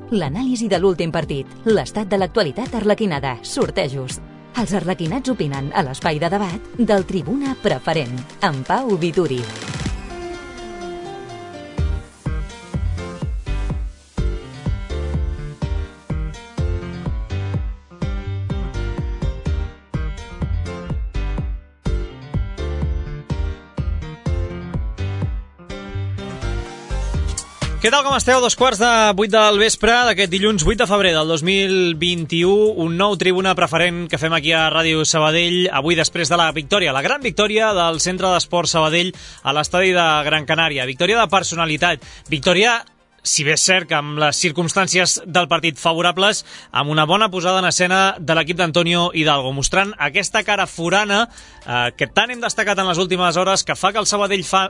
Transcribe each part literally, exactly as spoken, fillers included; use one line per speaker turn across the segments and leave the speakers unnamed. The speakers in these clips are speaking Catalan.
L'anàlisi de l'últim partit, l'estat de l'actualitat arlequinada, sortejos. Els arlequinats opinen a l'espai de debat del Tribuna Preferent, amb Pau Vituri.
Què tal, com esteu? Dos quarts de vuit del vespre d'aquest dilluns vuit de febrer del dos mil vint-i-u, un nou Tribuna Preferent que fem aquí a Ràdio Sabadell, avui després de la victòria, la gran victòria del Centre d'Esports Sabadell a l'estadi de Gran Canària. Victòria de personalitat, victòria, si bé és cert que amb les circumstàncies del partit favorables, amb una bona posada en escena de l'equip d'Antonio Hidalgo, mostrant aquesta cara forana eh, que tant hem destacat en les últimes hores, que fa que el Sabadell fa...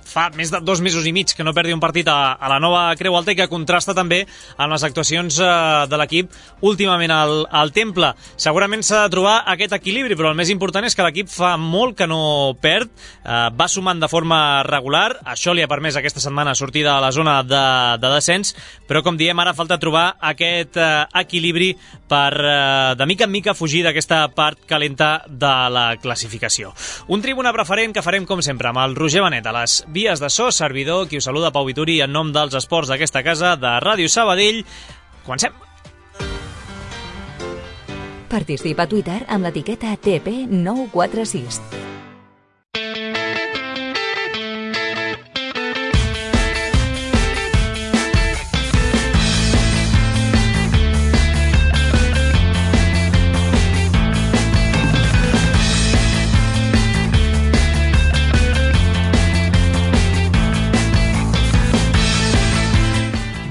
fa més de dos mesos i mig que no perdi un partit a, a la nova Creu Alta i que contrasta també amb les actuacions eh, de l'equip últimament al, al Temple. Segurament s'ha de trobar aquest equilibri, però el més important és que l'equip fa molt que no perd, eh, va sumant de forma regular, això li ha permès aquesta setmana sortir de la zona de, de descens, però com diem, ara falta trobar aquest eh, equilibri per eh, de mica en mica fugir d'aquesta part calenta de la classificació. Un Tribuna Preferent que farem com sempre amb el Roger Benet a les vies de so, servidor, qui us saluda, Pau Vituri, en nom dels esports d'aquesta casa de Ràdio Sabadell. Comencem!
Participa a Twitter amb l'etiqueta T P nou quatre sis.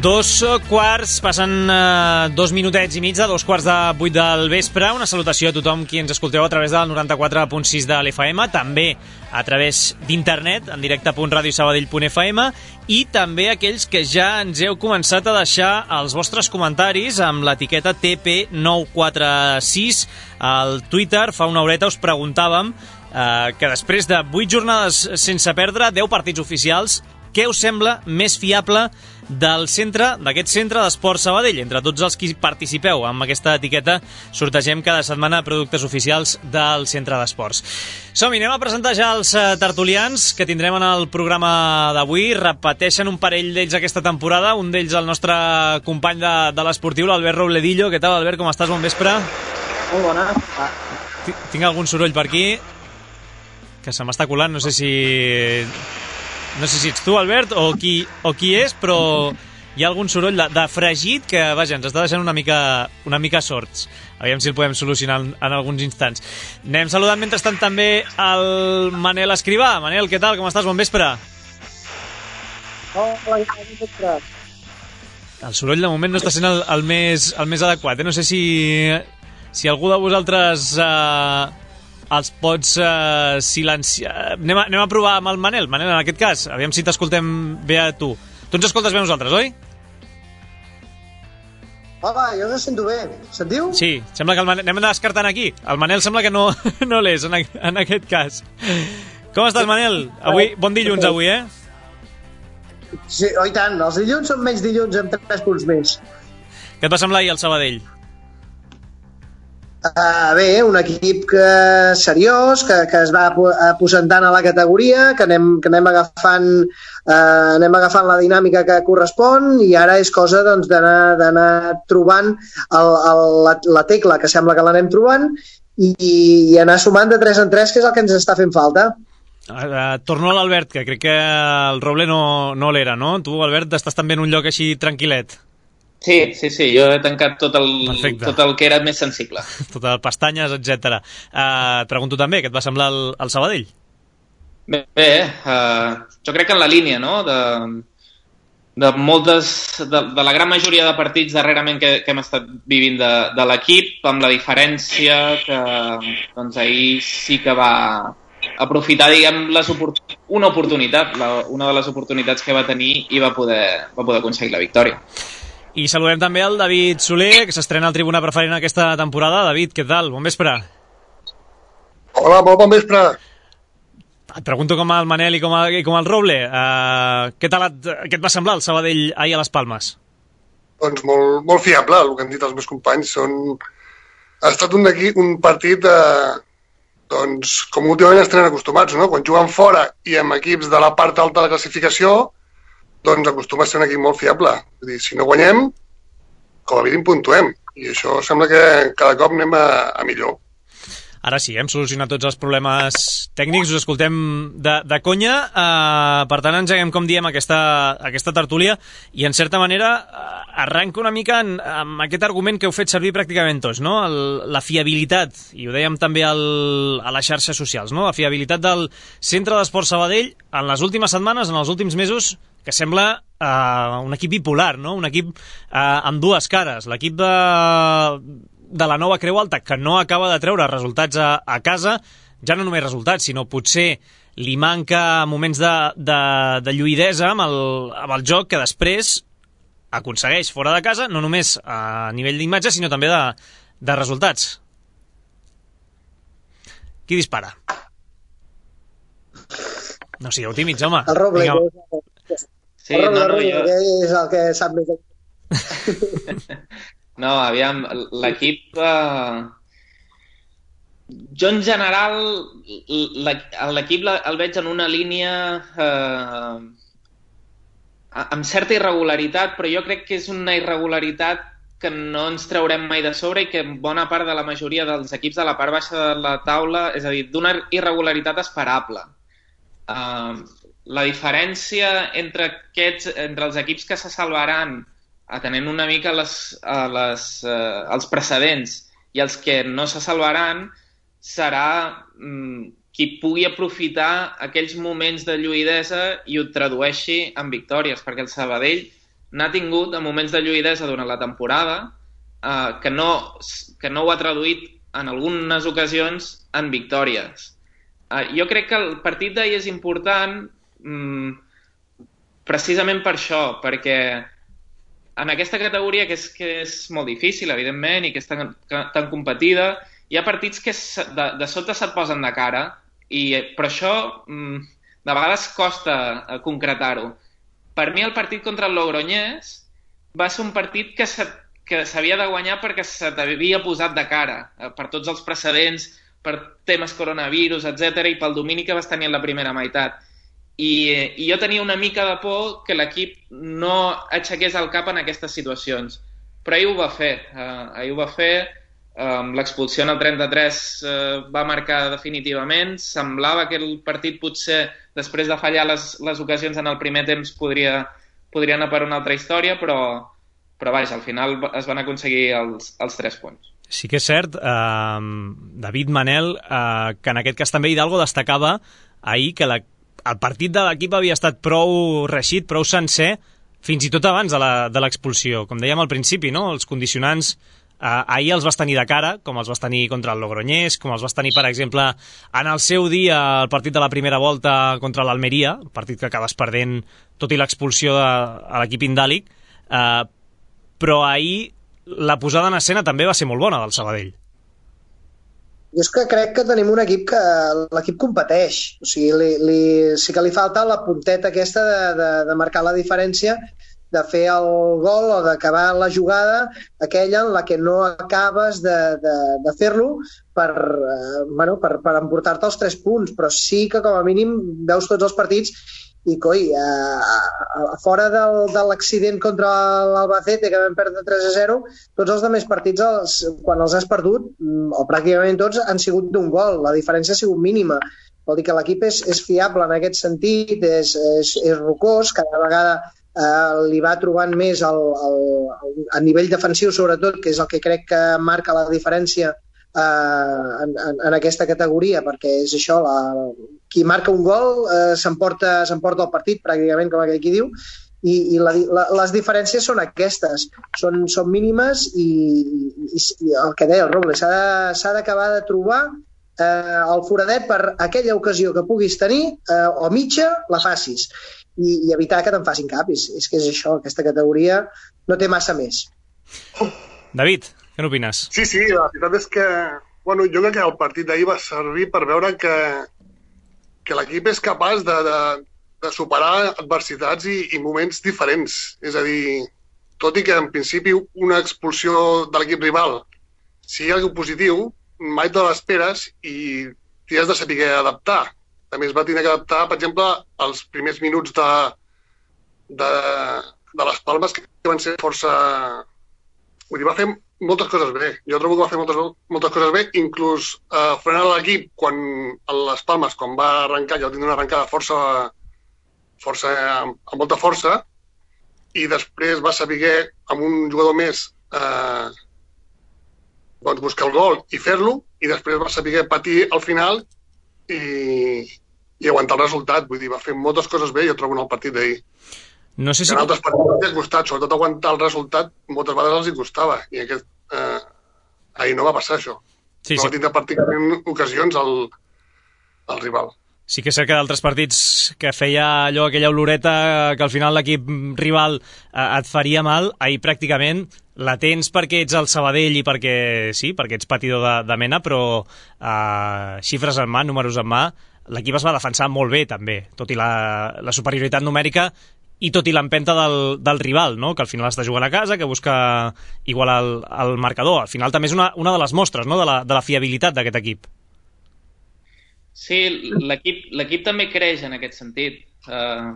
Dos quarts, passen eh, dos minutets i mig de dos quarts de vuit del vespre. Una salutació a tothom qui ens escolteu a través del noranta-quatre punt sis de l'F M, també a través d'internet, en directe punt radiosabadell punt f m, i també aquells que ja ens heu començat a deixar els vostres comentaris amb l'etiqueta T P nou quatre sis al Twitter. Fa una horeta us preguntàvem eh, que després de vuit jornades sense perdre, deu partits oficials, què us sembla més fiable del centre, d'aquest centre d'Esports Sabadell? Entre tots els qui participeu amb aquesta etiqueta, sortegem cada setmana productes oficials del centre d'esports. Som-hi, anem a presentar ja els tertulians que tindrem en el programa d'avui. Repeteixen un parell d'ells aquesta temporada, un d'ells el nostre company de, de l'esportiu, l'Albert Robledillo. Què tal, Albert, com estàs? Bon vespre.
Molt bona.
Tinc algun soroll per aquí que se m'està colant, no sé si... No sé si ets tu, Albert, o qui, o qui és, però hi ha algun soroll de, de fregit que, vaja, ens està deixant una mica, una mica sorts. Aviam si el podem solucionar en, en alguns instants. Anem saludant mentrestant també el Manel Escrivà. Manel, què tal? Com estàs? Bon vespre.
Hola, bon vespre.
El soroll de moment no està sent el, el, més, el més adequat. Eh? No sé si, si algú de vosaltres... Eh, els pots uh, silenciar... Anem a, anem a provar amb el Manel, Manel, en aquest cas. Aviam si t'escoltem bé a tu. Tu ens escoltes bé a nosaltres, oi?
Hola, jo us sento bé. Sentiu?
Sí, sembla que el Manel... Anem descartant aquí. El Manel sembla que no, no l'és, en, en aquest cas. Com estàs, Manel? Avui, bon dilluns, avui, eh?
Sí, oi tant. Els dilluns són menys dilluns amb tres punts més.
Què et va semblar ahir el Sabadell?
Uh, bé, un equip que, seriós, que, que es va aposentant a la categoria, que anem, que anem, agafant, uh, anem agafant la dinàmica que correspon, i ara és cosa doncs, d'anar trobant el, el, la, la tecla, que sembla que l'anem trobant, i, i anar sumant de tres en tres, que és el que ens està fent falta.
Uh, torno a l'Albert, que crec que el Roble no, no l'era, no? Tu, Albert, estàs també en un lloc així tranquil·let.
Sí, sí, sí, jo he tancat tot el, tot el que era més sensible.
Tot el pestanyes, etcètera. Uh, et pregunto també, què et va semblar el, el Sabadell?
Bé, bé uh, jo crec que en la línia, no?, de, de moltes, de, de la gran majoria de partits darrerament que, que hem estat vivint de, de l'equip, amb la diferència que doncs, ahir sí que va aprofitar, diguem, les oport... una oportunitat, la, una de les oportunitats que va tenir i va poder, va poder aconseguir la victòria.
I saludem també el David Soler, que s'estrena al Tribuna Preferent aquesta temporada. David, què tal? Bon vespre.
Hola, molt bon vespre.
Et pregunto com el Manel i com el, i com el Roble. Uh, què tal et, què et va semblar el Sabadell ahir a les Palmes?
doncs molt, molt fiable, el que han dit els meus companys. Són... Ha estat un, equip, un partit, eh, doncs, com últimament ens tenen acostumats, no? Quan juguen fora i amb equips de la part alta de la classificació, doncs acostuma a ser un equip molt fiable. És dir, si no guanyem, com a mínim puntuem. I això sembla que cada cop anem a, a millor.
Ara sí, hem solucionat tots els problemes tècnics, us escoltem de, de conya, eh, per tant engeguem, com diem, aquesta, aquesta tertúlia, i en certa manera arranca una mica en, amb aquest argument que heu fet servir pràcticament tots, no? El, la fiabilitat, i ho dèiem també al, a les xarxes socials, no? La fiabilitat del Centre d'Esport Sabadell en les últimes setmanes, en els últims mesos, que sembla eh, un equip bipolar, no? Un equip eh, amb dues cares, l'equip de... de la nova Creu Alta, que no acaba de treure resultats a, a casa, ja no només resultats, sinó potser li manca moments de, de, de lluïdesa amb el, amb el joc que després aconsegueix fora de casa, no només a nivell d'imatge, sinó també de, de resultats. Qui dispara? No sigueu tímids, home.
El Roble.
Sí,
el Roble,
no, no,
Roble,
jo...
que és el que sap més.
No, aviam, l'equip... Eh... Jo, en general, l'equip el veig en una línia eh... amb certa irregularitat, però jo crec que és una irregularitat que no ens traurem mai de sobre i que bona part de la majoria dels equips de la part baixa de la taula, és a dir, d'una irregularitat esperable. Eh... La diferència entre, aquests, entre els equips que se salvaran atenent una mica les, a les, eh, els precedents i els que no se salvaran serà mm, qui pugui aprofitar aquells moments de lluïdesa i ho tradueixi en victòries, perquè el Sabadell n'ha tingut en moments de lluïdesa durant la temporada eh, que, no, que no ho ha traduït en algunes ocasions en victòries. Eh, jo crec que el partit d'ahir és important mm, precisament per això, perquè en aquesta categoria, que és, que és molt difícil, evidentment, i que és tan, tan competida, hi ha partits que de, de sota se't posen de cara, i per això de vegades costa concretar-ho. Per mi el partit contra el Logroñés va ser un partit que s'havia de guanyar perquè se t'havia posat de cara, per tots els precedents, per temes coronavirus, etcètera, i pel domini que vas tenir en la primera meitat. I, i jo tenia una mica de por que l'equip no aixequés el cap en aquestes situacions, però ahir ho va fer uh, ahir ho va fer um, l'expulsió en el trenta-tres uh, va marcar definitivament. Semblava que el partit potser després de fallar les, les ocasions en el primer temps podria, podria anar per una altra història, però, però vaja, al final es van aconseguir els, els tres punts.
Sí que és cert, eh, David, Manel, eh, que en aquest cas també Hidalgo destacava ahir que la el partit de l'equip havia estat prou reixit, prou sencer, fins i tot abans de l'expulsió. Com dèiem al principi, no? Els condicionants eh, ahir els vas tenir de cara, com els vas tenir contra el Logroñés, com els vas tenir, per exemple, en el seu dia el partit de la primera volta contra l'Almeria, partit que acabes perdent tot i l'expulsió de, a l'equip indàlic, eh, però ahir la posada en escena també va ser molt bona del Sabadell.
Jo és que crec que tenim un equip que l'equip competeix, o sigui, li, li, sí que li falta la punteta aquesta de, de, de marcar la diferència, de fer el gol o d'acabar la jugada aquella en la que no acabes de, de, de fer-lo per, eh, bueno, per, per emportar-te els tres punts, però sí que com a mínim veus tots els partits i coi, eh, fora del, de l'accident contra l'Albacete que vam perdre tres a zero, tots els altres partits els, quan els has perdut o pràcticament tots han sigut d'un gol, la diferència ha sigut mínima, vol dir que l'equip és, és fiable en aquest sentit, és, és, és rocós, cada vegada eh, li va trobant més el, el, el, a nivell defensiu sobretot, que és el que crec que marca la diferència Uh, en, en, en aquesta categoria, perquè és això, la, qui marca un gol uh, s'emporta s'emporta el partit pràcticament, com aquell qui diu, i, i la, la, les diferències són aquestes, són, són mínimes i, i, i el que deia el Roble, s'ha d'acabar de trobar uh, el foradet per aquella ocasió que puguis tenir uh, o mitja la facis i, i evitar que te'n facin cap, és, és que és això, aquesta categoria no té massa més.
David, què n'opines?
Sí, sí, la veritat és que bueno, jo crec que el partit d'ahir va servir per veure que, que l'equip és capaç de, de, de superar adversitats i, i moments diferents. És a dir, tot i que en principi una expulsió de l'equip rival sigui algo positiu, mai te l'esperes i t'hi has de saber adaptar. També es va tenir que adaptar, per exemple, als primers minuts de, de, de les Palmes, que van ser força... Vull dir, va fer moltes coses bé. Jo trobo que va fer moltes, moltes coses bé, inclús eh, frenant l'equip quan a les Palmes, quan va arrencar, ja va tenir una arrencada força, força amb, amb molta força, i després va saber, amb un jugador més, eh, doncs buscar el gol i fer-lo, i després va saber patir al final i, i aguantar el resultat. Vull dir, va fer moltes coses bé, jo trobo en el partit d'ahir.
No sé si...
En altres partits els ha costat, sobretot aguantar el resultat, moltes vegades els hi costava, i aquest, eh, ahir no va passar això.
Sí,
no
sí.
va tindre pràcticament ocasions al, al rival.
Sí que és cert que d'altres partits que feia allò, aquella oloreta, que al final l'equip rival eh, et faria mal, ahir pràcticament la tens perquè ets el Sabadell i perquè, sí, perquè ets patidor de, de mena, però eh, xifres en mà, números en mà, l'equip es va defensar molt bé també, tot i la, la superioritat numèrica i tot i l'empenta del, del rival, no? Que al final està jugant a casa, que busca igualar el, el marcador. Al final també és una, una de les mostres, no? de, la, de la fiabilitat d'aquest equip.
Sí, l'equip l'equip també creix en aquest sentit, eh,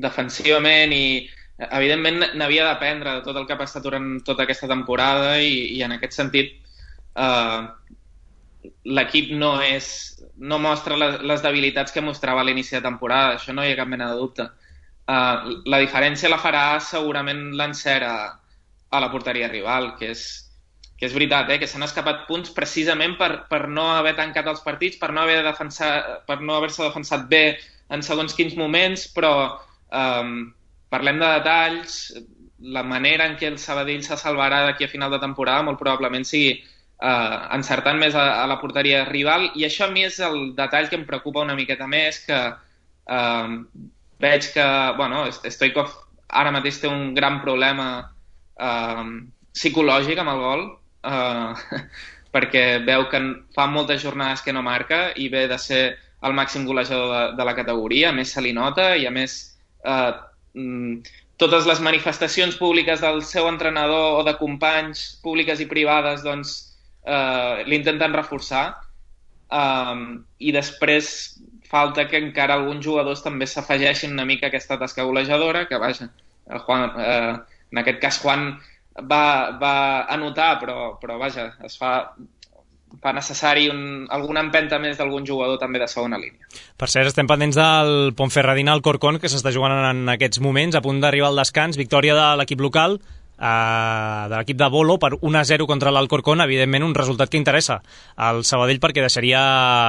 defensivament, i evidentment n'havia d'aprendre de tot el que ha passat durant tota aquesta temporada, i, i en aquest sentit eh, l'equip no és no mostra les, les debilitats que mostrava a l'inici de temporada, això no hi ha cap mena de dubte. Uh, la diferència la farà segurament l'encert a, a la porteria rival, que és, que és veritat, eh? Que s'han escapat punts precisament per, per no haver tancat els partits, per no haver defensat, per no haver-se defensat bé en segons quins moments, però um, parlem de detalls, la manera en què el Sabadell se salvarà d'aquí a final de temporada molt probablement sigui uh, encertant més a, a la porteria rival, i això a mi és el detall que em preocupa una miqueta més, que uh, veig que, bueno, Stoichkov ara mateix té un gran problema eh, psicològic amb el gol, eh, perquè veu que fa moltes jornades que no marca i ve de ser el màxim golejador de, de la categoria, a més se li nota, i a més eh, totes les manifestacions públiques del seu entrenador o de companys públiques i privades, doncs eh, l'intenten reforçar, eh, i després falta que encara alguns jugadors també s'afegeixin una mica a aquesta tasca golejadora, que vaja, Juan, eh, en aquest cas Juan va, va anotar, però, però vaja, es fa, fa necessari un, alguna empenta més d'algun jugador també de segona línia.
Per cert, estem pendents del Ponferradina Alcorcón, que s'està jugant en aquests moments, a punt d'arribar al descans, victòria de l'equip local, Uh, de l'equip de Bolo per un a zero contra l'Alcorcón, evidentment un resultat que interessa al Sabadell, perquè deixaria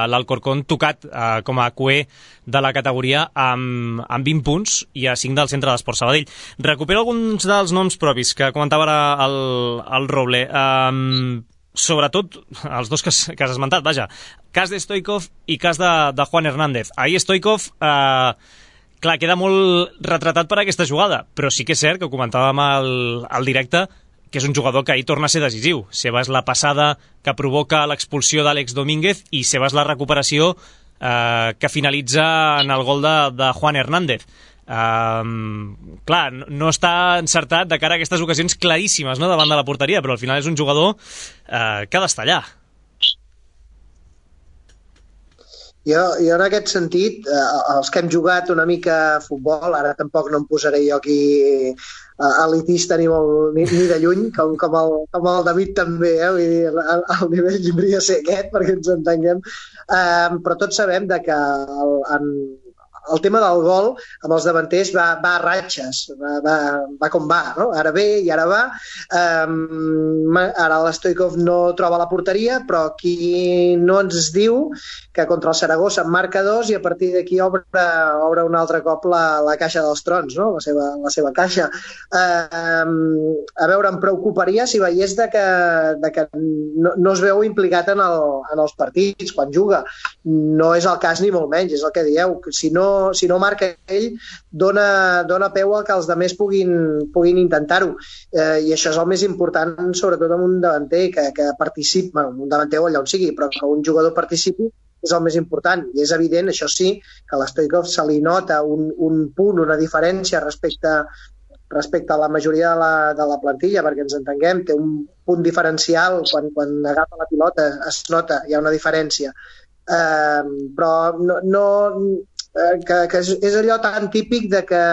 l'Alcorcón tocat uh, com a cué de la categoria amb, amb vint punts i a cinc del Centre d'Esports Sabadell. Recupero alguns dels noms propis que comentava ara el, el Roble, um, sobretot els dos que has, que has esmentat, vaja, cas de Stoichkov i cas de, de Juan Hernández. Ahir Stoichkov uh, clar, queda molt retratat per aquesta jugada, però sí que és cert que ho comentàvem al, al directe, que és un jugador que ahir torna a ser decisiu. Seva és la passada que provoca l'expulsió d'Àlex Domínguez i seva és la recuperació eh, que finalitza en el gol de, de Juan Hernández. Um, clar, no, no està encertat de cara a aquestes ocasions claríssimes, no?, davant de la porteria, però al final és un jugador eh, que ha d'estar allà.
Jo, jo en aquest sentit, eh, els que hem jugat una mica a futbol, ara tampoc no em posaré jo aquí eh, elitista ni, molt, ni, ni de lluny, com, com, el, com el David també, eh? Vull dir, el, el nivell hauria de ser aquest, perquè ens entenguem, eh, però tots sabem de que el, en, el tema del gol amb els davanters va, va a ratxes, va, va, va com va, no? Ara ve i ara va. Um, ara l'Stoichkov no troba la porteria, però aquí no ens diu que contra el Saragossa en marca dos i a partir d'aquí obre, obre un altre cop la, la caixa dels trons, no? La seva, la seva caixa. Um, a veure, em preocuparia si veiés de que, de que no, no es veu implicat en, el, en els partits quan juga. No és el cas ni molt menys, és el que dieu. Si no si no marca ell, dona, dona peu a que els altres puguin, puguin intentar-ho. Eh, I això és el més important, sobretot amb un davanter que, que participi, bueno, un davanter o allà on sigui, però que un jugador participi és el més important. I és evident, això sí, que a l'Stoichkov se li nota un, un punt, una diferència respecte respecte a la majoria de la, de la plantilla, perquè ens entenguem, té un punt diferencial, quan, quan agafa la pilota es nota, hi ha una diferència. Eh, però no, no eh, que, que és, és allò tan típic de que,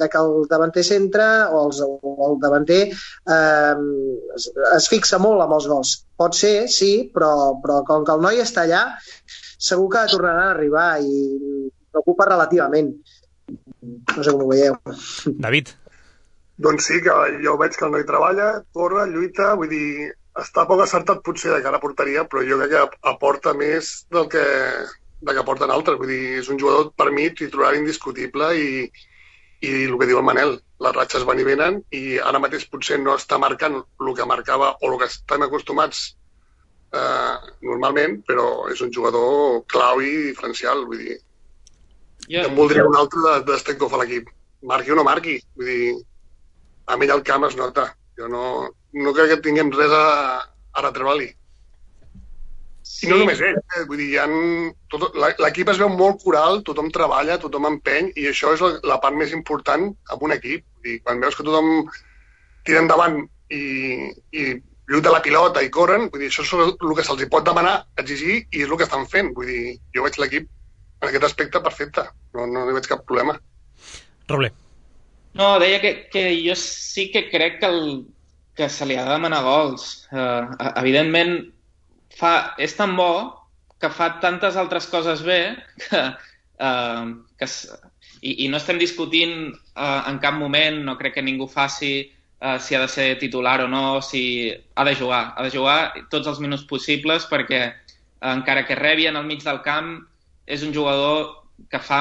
de que el davanter centre o, els, o el davanter eh, es, es fixa molt amb els gols. Pot ser, sí, però, però com que el noi està allà, segur que tornaran a arribar i preocupa relativament. No sé com ho veieu.
David.
Doncs sí, que jo veig que el noi treballa, corre, lluita, vull dir, està poc acertat potser de cara a porteria, però jo crec que aporta més del que, del que aporten altres. Vull dir, és un jugador per mi titular indiscutible i, i el que diu el Manel, les ratxes van i venen i ara mateix potser no està marcant el que marcava o el que estem acostumats eh, normalment, però és un jugador clau i diferencial, vull dir. Yeah. Em voldria un altre de, de Stoichkov a l'equip. Marqui o no marqui, vull dir, a mi el camp es nota. Jo no, no crec que tinguem res a, a retreure-li. Sí. I no només ell, eh? Vull dir, ha, l'equip es veu molt coral, tothom treballa, tothom empeny, i això és la, la part més important en un equip. Vull dir, quan veus que tothom tira endavant i, i lluita la pilota i corren, vull dir, això és el que se'ls pot demanar, exigir, i és el que estan fent. Vull dir, jo veig l'equip en aquest aspecte perfecte, no, no hi veig cap problema.
Roble.
No, deia que, que jo sí que crec que, el, que se li ha de demanar gols. Uh, evidentment, fa, és tan bo que fa tantes altres coses bé que, uh, que i, i no estem discutint uh, en cap moment, no crec que ningú faci uh, si ha de ser titular o no, si ha de jugar. Ha de jugar tots els minuts possibles perquè uh, encara que rebi en el mig del camp és un jugador que fa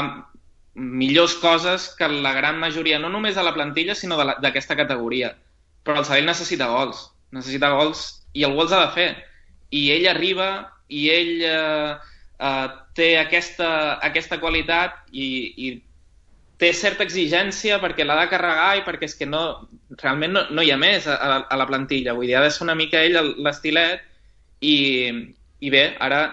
millors coses que la gran majoria, no només de la plantilla, sinó d'aquesta categoria. Però el Sabadell necessita gols. Necessita gols i el gols ha de fer. I ell arriba i ell eh, eh, té aquesta, aquesta qualitat i, i té certa exigència perquè l'ha de carregar i perquè és que no, realment no, no hi ha més a, a, a la plantilla. Vull dir, ha de ser una mica ell l'estilet i, i bé, ara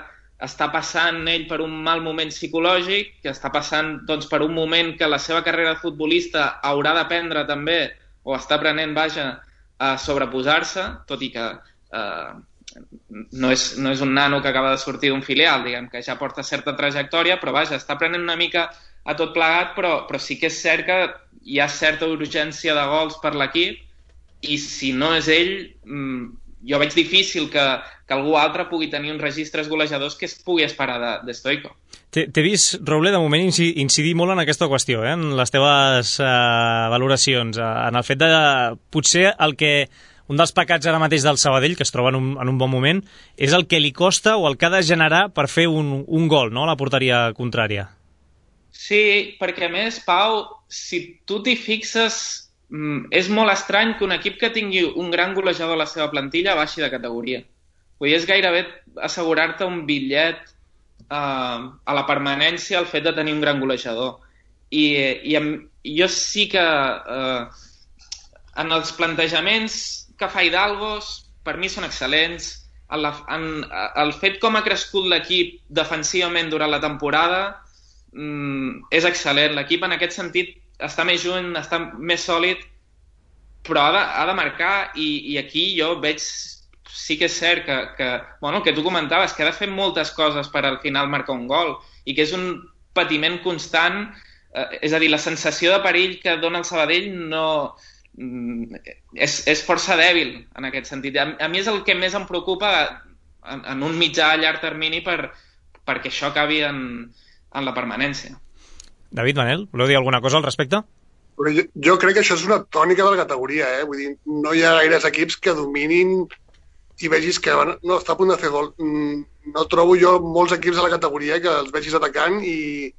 està passant ell per un mal moment psicològic, que està passant doncs, per un moment que la seva carrera de futbolista haurà d'aprendre també, o està aprenent, vaja, a sobreposar-se, tot i que eh, no, és, no és un nano que acaba de sortir d'un filial, diguem que ja porta certa trajectòria, però vaja, està aprenent una mica a tot plegat, però, però sí que és cert que hi ha certa urgència de gols per l'equip, i si no és ell, jo veig difícil que, que algú altre pugui tenir uns registres golejadors que es pugui esperar de, de Stoichkov.
T'he vist, Roble, de moment incidir molt en aquesta qüestió, eh? En les teves uh, valoracions, uh, en el fet de potser el que un dels pecats ara mateix del Sabadell, que es troba en un, en un bon moment, és el que li costa o el que ha de generar per fer un, un gol, no?, a la porteria contrària.
Sí, perquè a més, Pau, si tu t'hi fixes, és molt estrany que un equip que tingui un gran golejador a la seva plantilla baixi de categoria. Vull dir, és gairebé assegurar-te un bitllet eh, a la permanència el fet de tenir un gran golejador. I, i amb, jo sí que eh, en els plantejaments que fa Hidalgos, per mi són excel·lents. En la, en, el fet com ha crescut l'equip defensivament durant la temporada mm, és excel·lent. L'equip en aquest sentit està més junt, està més sòlid, però ha de, ha de marcar i, i aquí jo veig, sí que és cert que, que, bueno, el que tu comentaves, que ha de fer moltes coses per al final marcar un gol i que és un patiment constant, eh, és a dir, la sensació de perill que dona el Sabadell no, és, és força dèbil en aquest sentit. A, a mi és el que més em preocupa en, en un mitjà a llarg termini per, perquè això acabi en, en la permanència.
David, Manel, voleu dir alguna cosa al respecte?
Però jo, jo crec que això és una tònica de la categoria, eh? Vull dir, no hi ha gaires equips que dominin i vegis que no, està a punt de fer gol. No trobo jo molts equips de la categoria que els vegis atacant i,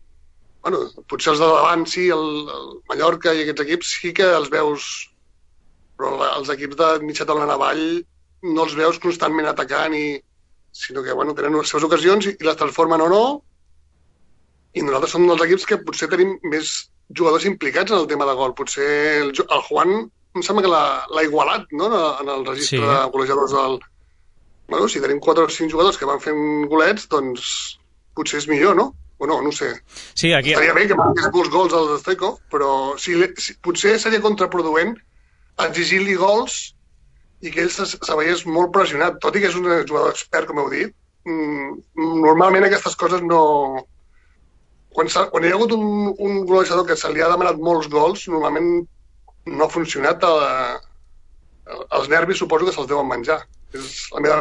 bueno, potser els de davant sí, el, el Mallorca i aquests equips sí que els veus, però els equips de mitja taula en avall no els veus constantment atacant, i, sinó que, bueno, tenen les seves ocasions i les transformen o no. I nosaltres som dels equips que potser tenim més jugadors implicats en el tema de gol. Potser el, el Juan em sembla que l'ha igualat, no?, en el registre sí. de golejadors del... Bueno, si tenim quatre o cinc jugadors que van fent golets, doncs potser és millor, no? o no, no sé.
Sí, aquí...
Estaria bé que marqués molts gols al Stoikov, però si, si, potser seria contraproduent exigir-li gols i que ell se, se veiés molt pressionat, tot i que és un jugador expert, com heu dit. Mm, normalment aquestes coses no... Quan, quan hi ha hagut un, un golejador que se li ha demanat molts gols, normalment no ha funcionat. A, els nervis suposo que se'ls deuen menjar. És la meva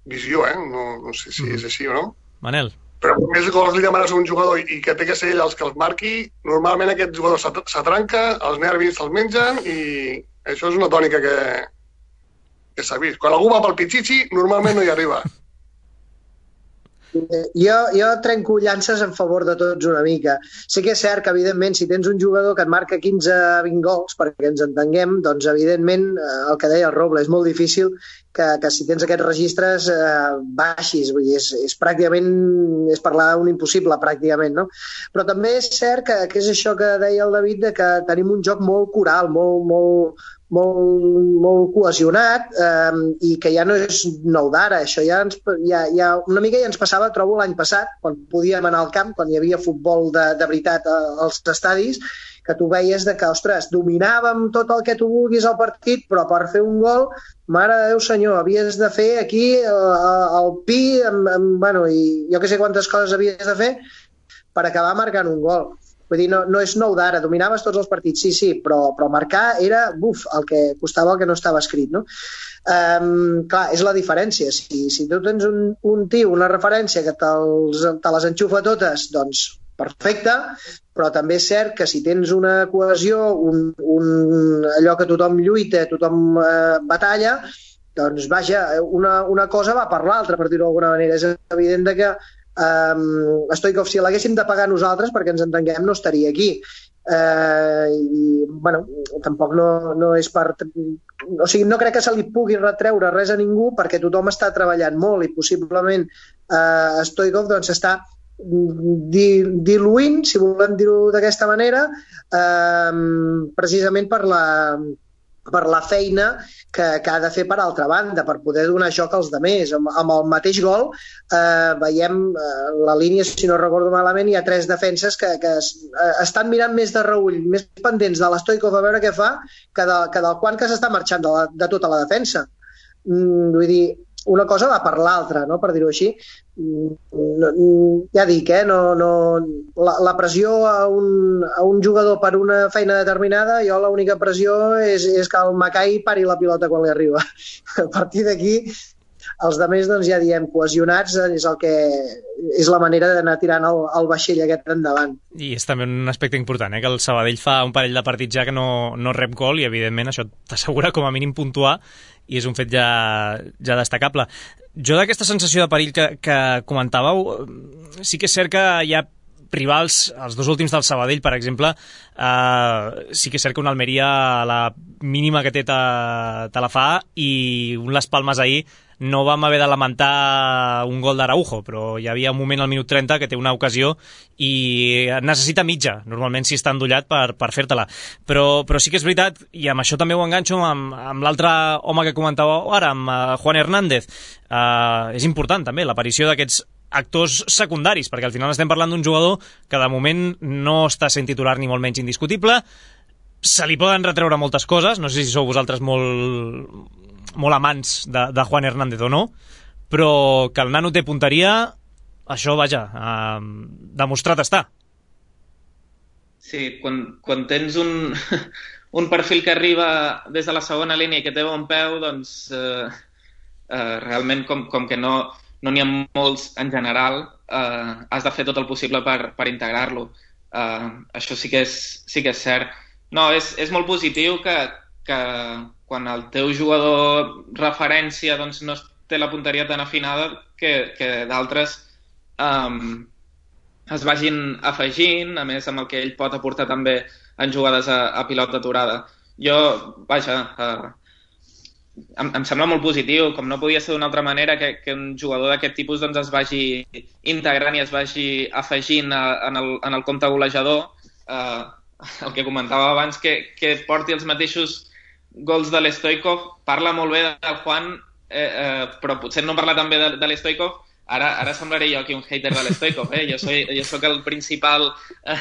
visió, eh? No, no sé si mm. és així o no.
Manel.
Però més gols li demanes a un jugador i que té que ser ell els que els marqui, normalment aquest jugador s'atranca, els nervis se'ls mengen i això és una tònica que, que s'ha vist. Quan algú va pel pitxitxi, normalment no hi arriba.
Jo, jo trenco llances en favor de tots una mica. Sí que és cert que, evidentment, si tens un jugador que et marca quinze a vint gols, perquè ens entenguem, doncs, evidentment, el que deia el Roble, és molt difícil que, que si tens aquests registres eh, baixis. Vull dir, és, és pràcticament, és parlar d'un impossible, pràcticament, no? Però també és cert que, que és això que deia el David, de que tenim un joc molt coral, molt, molt, molt, molt cohesionat eh, i que ja no és nou d'ara. Això ja, ens, ja, ja una mica ja ens passava, trobo, l'any passat, quan podíem anar al camp, quan hi havia futbol de, de veritat als estadis, que tu veies de que, ostres, dominàvem tot el que tu vulguis al partit, però per fer un gol, mare de Déu senyor, havies de fer aquí el pi, amb, amb, bueno, i jo que sé quantes coses havies de fer per acabar marcant un gol. Vull dir, no, no és nou d'ara, dominaves tots els partits, sí, sí, però, però marcar era, buf, el que costava el que no estava escrit, no? Um, clar, és la diferència. Si, si tu tens un, un tio, una referència que te'ls, te les enxufa totes, doncs perfecte, però també és cert que si tens una cohesió, un, un, allò que tothom lluita, tothom eh, batalla, doncs vaja, una, una cosa va per l'altra, per dir-ho d'alguna manera. És evident que Um, Stoikov, si l'haguéssim de pagar nosaltres, perquè ens entenguem, no estaria aquí. Uh, i, bueno, tampoc no, no és per... O sigui, no crec que se li pugui retreure res a ningú, perquè tothom està treballant molt i possiblement uh, Stoikov doncs està diluint, si volem dir-ho d'aquesta manera, uh, precisament per la... per la feina que, que ha de fer per altra banda, per poder donar joc als demés. Amb, amb el mateix gol eh, veiem eh, la línia, si no recordo malament, hi ha tres defenses que, que es, eh, estan mirant més de reull, més pendents de l'Stoikov a veure què fa, que, de, que del Juan, que s'està marxant de, la, de tota la defensa. Mm, vull dir, una cosa va per l'altra, no? Per dir-ho així. No, ja dic, eh? no, no, la, la pressió a un, a un jugador per una feina determinada, jo l'única pressió és, és que el Macai pari la pilota quan li arriba. A partir d'aquí, els altres doncs, ja diem, cohesionats és, el que, és la manera d'anar tirant el, el vaixell aquest endavant.
I és també un aspecte important, eh? Que el Sabadell fa un parell de partits ja que no, no rep gol i evidentment això t'assegura com a mínim puntuar i és un fet ja, ja destacable. Jo d'aquesta sensació de perill que, que comentàveu, sí que és cert que hi ha rivals, els dos últims del Sabadell, per exemple, eh, sí que és cert que un Almeria a la mínima que té te, te la fa i un Las Palmas ahir no vam haver de lamentar un gol d'Araujo, però hi havia un moment al minut trenta que té una ocasió i necessita mitja, normalment si està endollat per, per fer-te-la. Però, però sí que és veritat, i amb això també ho enganxo amb, amb l'altre home que comentàveu ara, amb uh, Juan Hernández. Uh, és important també l'aparició d'aquests actors secundaris, perquè al final estem parlant d'un jugador que de moment no està sent titular ni molt menys indiscutible. Se li poden retreure moltes coses, no sé si sou vosaltres molt... molt amants de, de Juan Hernández o no, però que el nano té punteria, això, vaja, eh, demostrat està.
Sí, quan, quan tens un, un perfil que arriba des de la segona línia i que té bon peu, doncs eh, eh, realment com, com que no no n'hi ha molts en general, eh, has de fer tot el possible per, per integrar-lo. Eh, això sí que és, sí que és cert. No, és, és molt positiu que, que quan el teu jugador referència doncs, no té la punteria tan afinada que, que d'altres um, es vagin afegint, a més amb el que ell pot aportar també en jugades a, a pilota aturada. Jo, vaja, uh, em, em sembla molt positiu, com no podia ser d'una altra manera, que, que un jugador d'aquest tipus doncs, es vagi integrant i es vagi afegint a, en, el, en el compte golejador. Uh, el que comentava abans, que, que porti els mateixos gols de l'Stoikov, parla molt bé del Juan, eh, eh, però potser no parla també de, de l'Stoikov, Ara, ara semblaré jo aquí un hater de l'Stoikov, eh? Jo, soy, jo soc el principal, eh,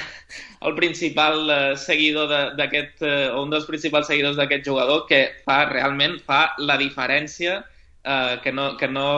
el principal eh, seguidor d'aquest, eh, o un dels principals seguidors d'aquest jugador, que fa realment fa la diferència, eh, que, no, que no,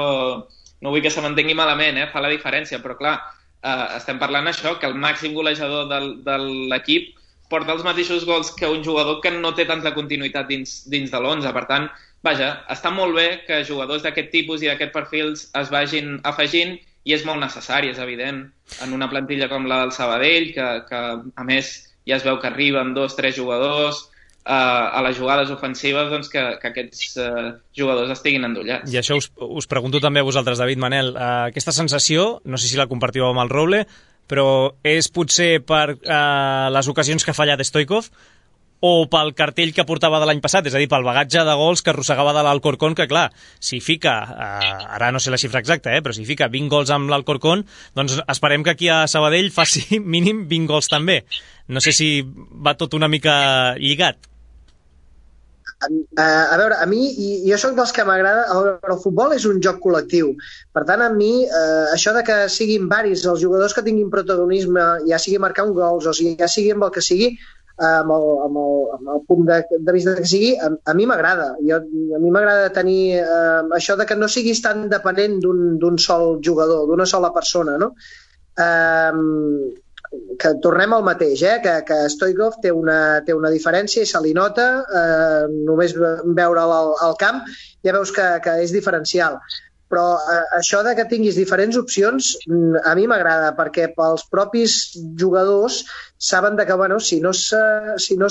no vull que se m'entengui malament, eh? Fa la diferència, però clar, eh, estem parlant això, que el màxim golejador del, de l'equip porta els mateixos gols que un jugador que no té tanta continuïtat dins, dins de l'onze. Per tant, vaja, està molt bé que jugadors d'aquest tipus i d'aquest perfils es vagin afegint i és molt necessari, és evident, en una plantilla com la del Sabadell, que, que a més ja es veu que arriben dos, tres jugadors eh, a les jugades ofensives, doncs que, que aquests eh, jugadors estiguin endollats.
I això us, us pregunto també a vosaltres, David, Manel, eh, aquesta sensació, no sé si la compartiu amb el Roble, però és potser per eh, les ocasions que ha fallat Stoikov o pel cartell que portava de l'any passat, és a dir, pel bagatge de gols que arrossegava de l'Alcorcón, que clar, si fica, eh, ara no sé la xifra exacta, eh, però si fica vint gols amb l'Alcorcón, doncs esperem que aquí a Sabadell faci mínim vint gols també. No sé si va tot una mica lligat.
A, a veure, a mi, i jo sóc dels que m'agrada, el, el futbol és un joc col·lectiu, per tant a mi eh, això de que siguin varis els jugadors que tinguin protagonisme, ja sigui marcar un gols o sigui, ja sigui amb el que sigui, amb el, amb el, amb el punt de, de vista que sigui, a, a mi m'agrada. Jo, a mi m'agrada tenir eh, això de que no siguis tan dependent d'un sol jugador, d'una sola persona, no? Eh, que tornem al mateix, eh? que, que Stoikov té una, té una diferència i se li nota, eh, només veure'l al, al camp ja veus que, que és diferencial. Però eh, això de que tinguis diferents opcions a mi m'agrada, perquè pels propis jugadors saben de que bueno, si no s'acoplen si no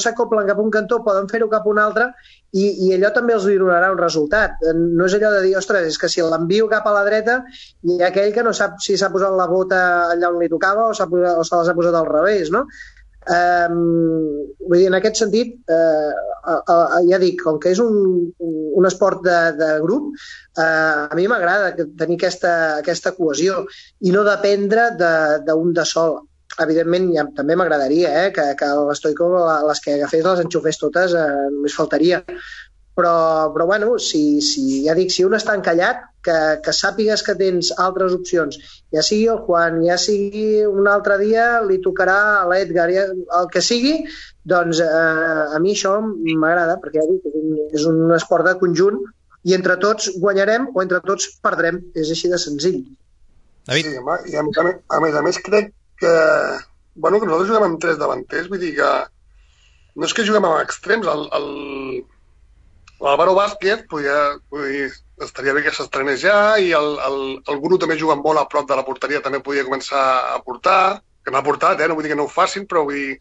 cap a un cantó poden fer-ho cap a un altre i, i allò també els donarà un resultat. No és allò de dir, ostres, és que si l'envio cap a la dreta hi ha aquell que no sap si s'ha posat la bota allà on li tocava o, posat, o se les ha posat al revés, no? Um, vull dir, en aquest sentit uh, uh, uh, ja dic, com que és un, un esport de, de grup, uh, a mi m'agrada tenir aquesta, aquesta cohesió i no dependre d'un de, de sol. Evidentment ja, també m'agradaria eh, que, que l'Stoikov les que agafés les enxufés totes, eh, només faltaria, però, però bueno, si, si, ja dic, si un està encallat, que, que sàpigues que tens altres opcions, ja sigui el Juan, ja sigui un altre dia li tocarà a l'Edgar, ja, el que sigui, doncs eh, a mi això m'agrada, perquè ja dic, és un, és un esport de conjunt i entre tots guanyarem o entre tots perdrem, és així de senzill.
David?
Sí, home, i a més a més, a més, a més crec que, bueno, que nosaltres juguem amb tres davanters, vull dir que no és que juguem amb extrems, el, el, l'Álvaro Vázquez podria, dir, estaria bé que s'estrenés ja i el, el, el Guru també juga molt a prop de la porteria, també podria començar a portar, que n'ha portat, eh? No vull dir que no ho facin, però vull dir,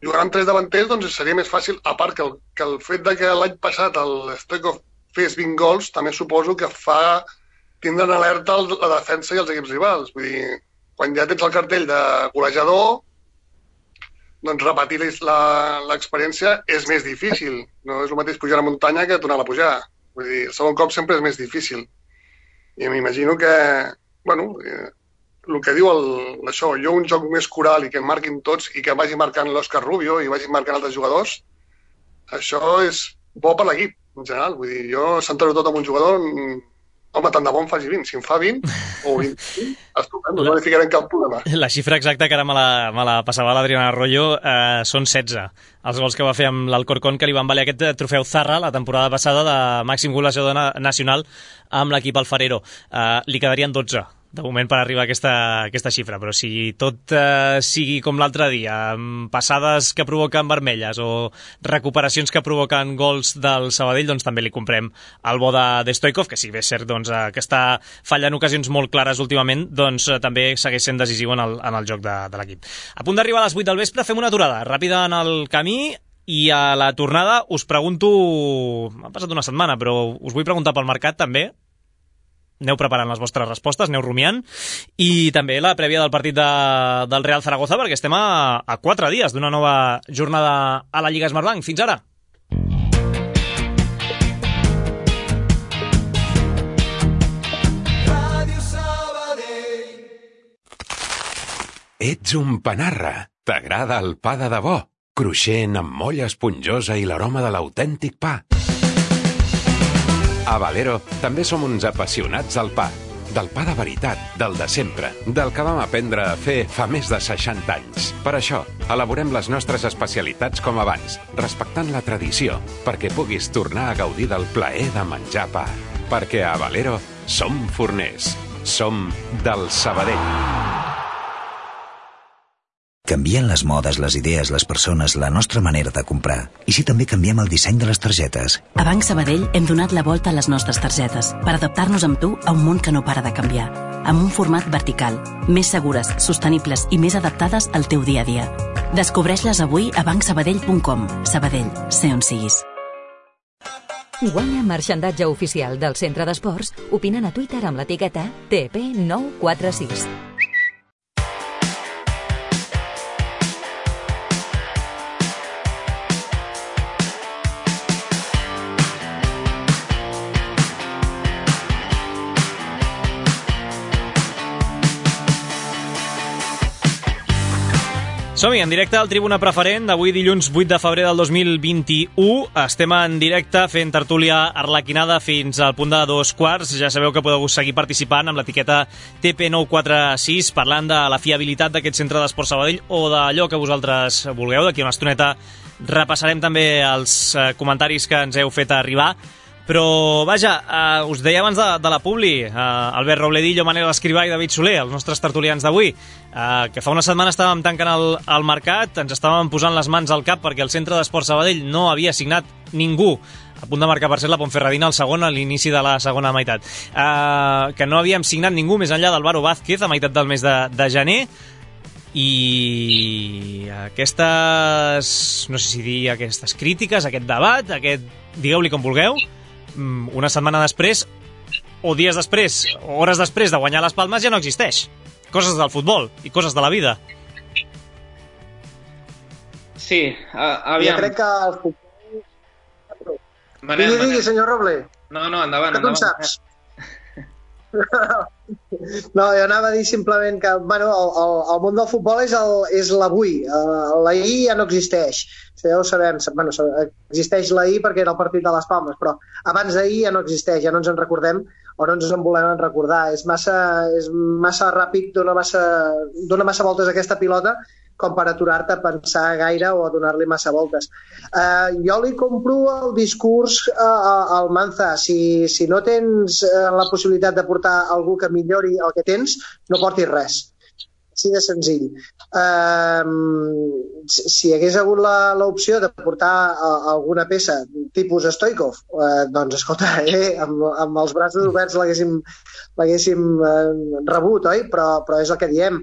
jugant amb tres davanters doncs seria més fàcil, a part que el, que el fet de que l'any passat el Stoikov fes vint gols, també suposo que fa tindre en alerta el, la defensa i els equips rivals, vull dir, quan ja tens el cartell de golejador, doncs repetir l'experiència és més difícil. No és el mateix pujar a muntanya que tornar a pujar. Vull dir, el segon cop sempre és més difícil. I m'imagino que, bueno, eh, el que diu el, això, jo un joc més coral i que em marquin tots i que vagi marcant l'Òscar Rubio i vagi marcant altres jugadors, això és bo per l'equip, en general. Vull dir, jo centro tot amb un jugador, home, tant de bon faci vint. Si en fa vint o vint, estupendo, no li ficarem cap problema.
La xifra exacta que ara me la, me la passava l'Adriana Arroyo eh, són setze. Els gols que va fer amb l'Alcorcón, que li van valer aquest trofeu Zarra la temporada passada de màxim golejador na nacional amb l'equip alfarero. Eh, li quedarien dotze de moment per arribar a aquesta, aquesta xifra, però si tot eh, sigui com l'altre dia, amb passades que provoquen vermelles o recuperacions que provoquen gols del Sabadell, doncs també li comprem el bo de, de Stoikov, que si bé és cert doncs, eh, que està fallant ocasions molt clares últimament, doncs eh, també segueix sent decisiu en el, en el joc de, de l'equip. A punt d'arribar a les vuit del vespre, fem una aturada ràpida en el camí i a la tornada us pregunto, m'ha passat una setmana, però us vull preguntar pel mercat també. Aneu preparant les vostres respostes, aneu rumiant, i també la prèvia del partit de, del Real Zaragoza, perquè estem a, a quatre dies d'una nova jornada a la Lliga Smartbank. Fins ara!
Ets un panarra. T'agrada el pa de debò, cruixent amb molla esponjosa i l'aroma de l'autèntic pa. A Valero també som uns apassionats del pa. del pa de veritat, del de sempre, del que vam aprendre a fer fa més de seixanta anys. Per això, elaborem les nostres especialitats com abans, respectant la tradició, perquè puguis tornar a gaudir del plaer de menjar pa. Perquè a Valero som forners. Som del Sabadell.
Canvien les modes, les idees, les persones, la nostra manera de comprar. I si també canviem el disseny de les targetes?
A Banc Sabadell hem donat la volta a les nostres targetes per adaptar-nos amb tu a un món que no para de canviar. Amb un format vertical, més segures, sostenibles i més adaptades al teu dia a dia. Descobreix-les avui a banc sabadell punt com. Sabadell, sé on siguis.
Guanya marxandatge oficial del Centre d'Esports opinant a Twitter amb l'etiqueta T P nou quatre sis.
Som-hi, en directe al Tribuna Preferent d'avui dilluns vuit de febrer del dos mil vint-i-u. Estem en directe fent tertúlia arlequinada fins al punt de dos quarts. Ja sabeu que podeu seguir participant amb l'etiqueta T P nou quatre sis parlant de la fiabilitat d'aquest centre d'Esport Sabadell o d'allò que vosaltres vulgueu. D'aquí una estoneta repassarem també els comentaris que ens heu fet arribar. Però, vaja, eh, us deia abans de, de la publi, eh, Albert Robledillo, Manel Escrivà i David Soler, els nostres tertulians d'avui, eh, que fa una setmana estàvem tancant el, el mercat, ens estàvem posant les mans al cap perquè el Centre d'Esport Sabadell no havia signat ningú, a punt de marcar per ser la Ponferradina al segon a l'inici de la segona meitat, eh, que no havíem signat ningú més enllà d'Alvaro Vázquez a meitat del mes de, de gener, i aquestes, no sé si dir aquestes crítiques, aquest debat, aquest, digueu-li com vulgueu, una setmana després, o dies després, o hores després de guanyar les palmes, ja no existeix. Coses del futbol i coses de la vida.
Sí, uh, aviam.
Jo crec que el futbol...
Manel,
digui,
Manel.
digui, senyor Roble.
No, no, endavant,
que tu
endavant.
en saps. No, jo anava a dir simplement que bueno, el, el, el món del futbol és, el, és l'avui. Uh, l'ahir ja no existeix. Ja ho sabem, bueno, existeix l'ahir perquè era el partit de les Palmes, però abans d'ahir ja no existeix, ja no ens en recordem o no ens en volem recordar. És massa, és massa ràpid, dona massa, dona massa voltes a aquesta pilota com per aturar-te a pensar gaire o a donar-li massa voltes. Uh, jo li compro el discurs uh, al Manza. Si, si no tens uh, la possibilitat de portar algú que millori el que tens, no portis res. Així de senzill. Uh, si, si hagués hagut l'opció de portar uh, alguna peça tipus Stoikov, uh, doncs escolta, eh, amb, amb els braços oberts l'haguéssim uh, rebut, oi? Però, però és el que diem.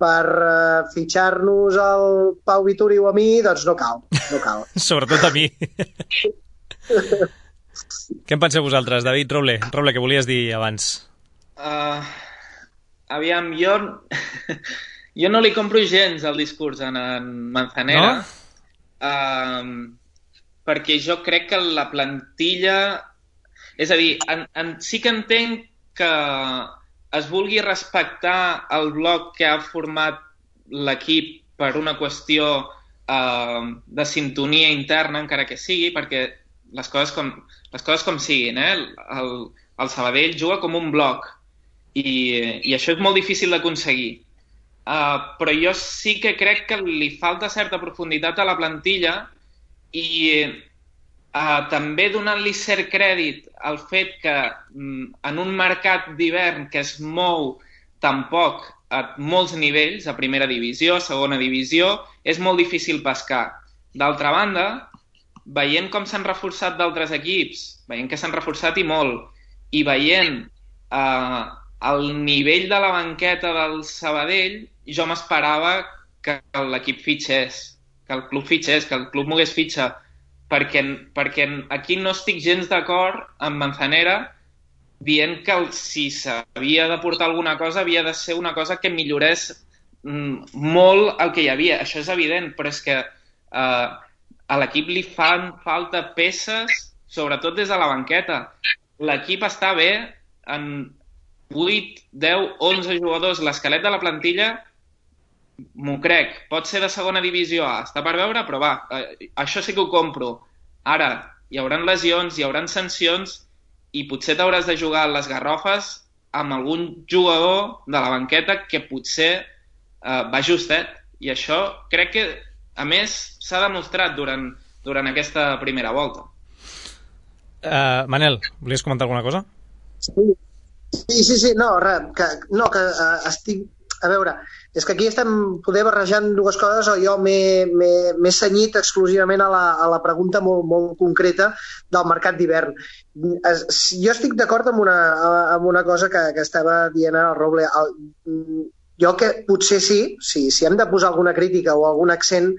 Per uh, fitxar-nos el Pau Vituri o a mi, doncs no cal, no cal.
Sobretot a mi. Què en penseu vosaltres, David Roble? Roble, què volies dir abans?
Uh, aviam, jo... jo no li compro gens el discurs en, en Manzanera, no? uh, perquè jo crec que la plantilla... És a dir, en, en, sí que entenc que es vulgui respectar el bloc que ha format l'equip per una qüestió eh, de sintonia interna, encara que sigui, perquè les coses com, les coses com siguin, eh? el, el Sabadell juga com un bloc i, i això és molt difícil d'aconseguir. Uh, però jo sí que crec que li falta certa profunditat a la plantilla i Uh, també donant-li cert crèdit al fet que mm, en un mercat d'hivern que es mou tampoc a molts nivells, a primera divisió, a segona divisió, és molt difícil pescar. D'altra banda, veient com s'han reforçat d'altres equips, veient que s'han reforçat i molt, i veient uh, el nivell de la banqueta del Sabadell, jo m'esperava que l'equip fitxés, que el club fitxés, que el club mogués fitxa, perquè, perquè aquí no estic gens d'acord amb Manzanera dient que el, si s'havia de portar alguna cosa havia de ser una cosa que millorés mm, molt el que hi havia. Això és evident, però és que eh, a l'equip li fan falta peces, sobretot des de la banqueta. L'equip està bé en vuit, deu, onze jugadors. L'esquelet de la plantilla m'ho crec, pot ser de segona divisió A, està per veure, però va, eh, això sí que ho compro. Ara, hi haurà lesions, hi haurà sancions i potser t'hauràs de jugar a les garrofes amb algun jugador de la banqueta que potser eh, va justet. I això crec que, a més, s'ha demostrat durant, durant aquesta primera volta.
Uh, Manel, volies comentar alguna cosa?
Sí, sí, sí, sí. No, res, que, no, que uh, estic... A veure, és que aquí estem poder barrejant dues coses, o jo m'he cenyit exclusivament a la, a la pregunta molt, molt concreta del mercat d'hivern. Jo estic d'acord amb, una, amb una cosa que, que estava dient el Roble. El, jo que potser sí, sí, si hem de posar alguna crítica o algun accent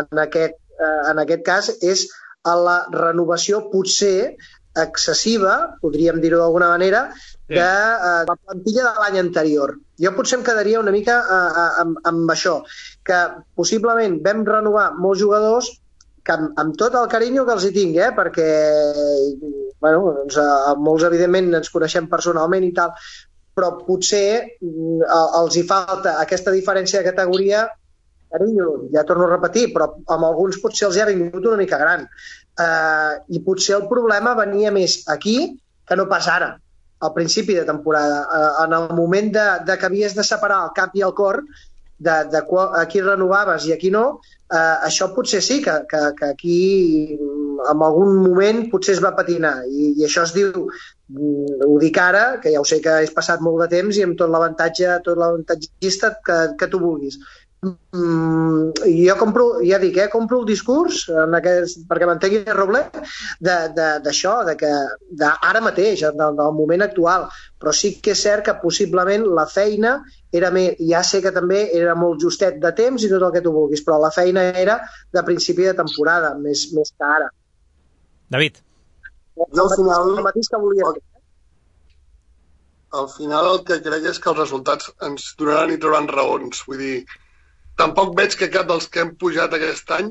en aquest, en aquest cas, és a la renovació potser excessiva, podríem dir-ho d'alguna manera, de uh, la plantilla de l'any anterior. Jo potser em quedaria una mica uh, amb, amb això, que possiblement vam renovar molts jugadors que amb, amb tot el carinyo que els hi tinc, eh, perquè bueno, doncs, uh, molts evidentment ens coneixem personalment i tal, però potser uh, els hi falta aquesta diferència de categoria. Carinyo, ja torno a repetir, però amb alguns potser els hi ha vingut una mica gran. Uh, I potser el problema venia més aquí que no pas ara, al principi de temporada. Uh, en el moment de, de que havies de separar el cap i el cor, de, de qual, a qui renovaves i a qui no, uh, això potser sí que, que, que aquí en algun moment potser es va patinar. I, i això es diu, ho dic ara, que ja ho sé que has passat molt de temps i amb tot l'avantatge, tot l'avantatgista que, que tu vulguis. Mm, jo compro, ja dic, eh, compro el discurs en aquest, perquè m'entengui el Roble d'això, de, de, de que de ara mateix, del, del moment actual, però sí que és cert que possiblement la feina era més, ja sé que també era molt justet de temps i tot el que tu vulguis, però la feina era de principi de temporada, més, més que ara.
David.
Jo al final,
el mateix que volia dir.
Al final el que crec és que els resultats ens donaran i trauran raons, vull dir, tampoc veig que cap dels que hem pujat aquest any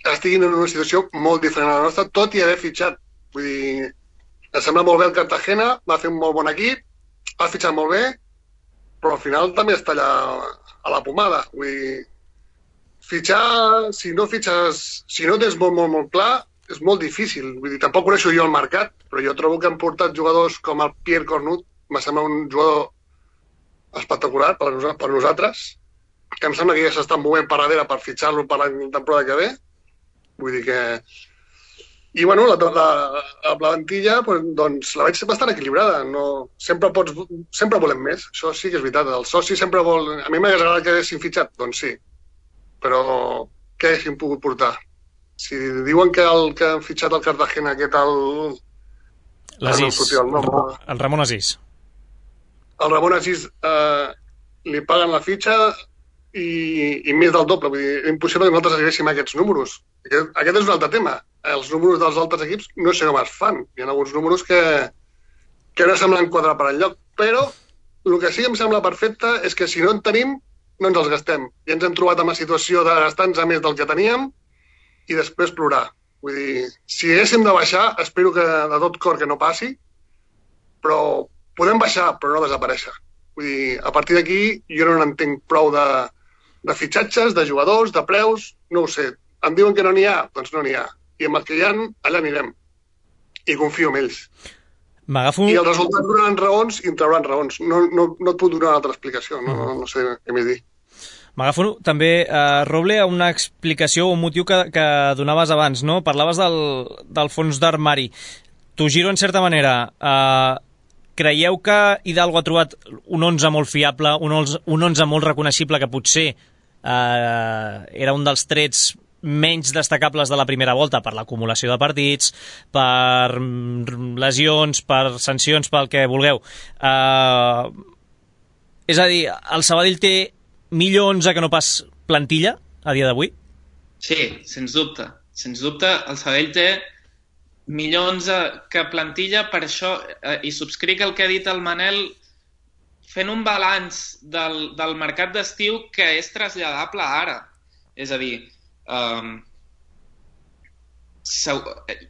estiguin en una situació molt diferent a la nostra, tot i haver fitxat. Vull dir, em sembla molt bé el Cartagena, va fer un molt bon equip, ha fitxat molt bé, però al final també està allà a la pomada. Vull dir, fitxar, si no fitxes, si no tens molt, molt, molt clar, és molt difícil. Vull dir, tampoc coneixo jo el mercat, però jo trobo que han portat jugadors com el Pierre Cornut, me sembla un jugador espectacular per, per nosaltres, que em sembla que ja s'estan movent per darrere per fitxar-lo per la temporada que ve. Vull dir que... I, bueno, la, la, la plantilla, doncs, la veig bastant equilibrada. No... Sempre, pots... sempre volem més, això sí que és veritat. El soci sempre vol... A mi m'hagués agradat que haguessin fitxat, doncs sí. Però què haguessin pogut portar? Si diuen que el que han fitxat el Cartagena, què tal...
L'Asís,
el,
el Ramon Asís.
El Ramon Asís eh, li paguen la fitxa i, i més del doble. Vull dir, és impossible que nosaltres arribéssim a aquests números. Aquest, aquest és un altre tema. Els números dels altres equips no sé com es fan. Hi ha alguns números que, que no semblen quadrar per enlloc. Però el que sí que em sembla perfecte és que si no en tenim, no ens els gastem. I ens hem trobat en la situació de gastar-nos a més del que teníem i després plorar. Vull dir, si haguéssim de baixar, espero que de tot cor que no passi, però podem baixar, però no desaparèixer. Vull dir, a partir d'aquí jo no n'entenc prou de, de fitxatges, de jugadors, de preus, no ho sé. Em diuen que no n'hi ha, doncs no n'hi ha. I amb el que hi ha, allà anirem. I confio en ells.
M'agafo...
I els resultats donaran raons i en trauran raons. No, no, no et puc donar una altra explicació, no, no, no sé què més dir.
M'agafo també, eh, Roble, a una explicació o un motiu que, que donaves abans, no? Parlaves del, del fons d'armari. T'ho giro en certa manera. Eh, creieu que Hidalgo ha trobat un onze molt fiable, un onze, un onze molt reconeixible, que potser eh, era un dels trets menys destacables de la primera volta per l'acumulació de partits, per lesions, per sancions, pel que vulgueu. Uh, és a dir, el Sabadell té millor onze que no pas plantilla a dia d'avui?
Sí, sens dubte. Sens dubte, el Sabadell té millor onze que plantilla, per això, eh, i subscric el que ha dit el Manel, fent un balanç del, del mercat d'estiu que és traslladable ara. És a dir, Um,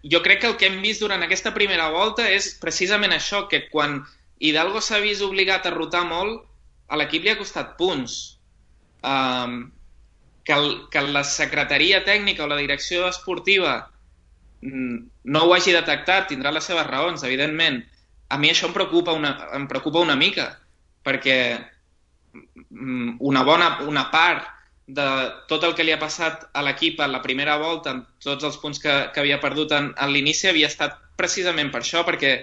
jo crec que el que hem vist durant aquesta primera volta és precisament això, que quan Hidalgo s'ha vist obligat a rotar molt, a l'equip li ha costat punts. Um, que, el, que la secretaria tècnica o la direcció esportiva no ho hagi detectat, tindrà les seves raons, evidentment. a mi això em preocupa una, em preocupa una mica, perquè una bona una part de tot el que li ha passat a l'equip a la primera volta, amb tots els punts que, que havia perdut en, en l'inici, havia estat precisament per això, perquè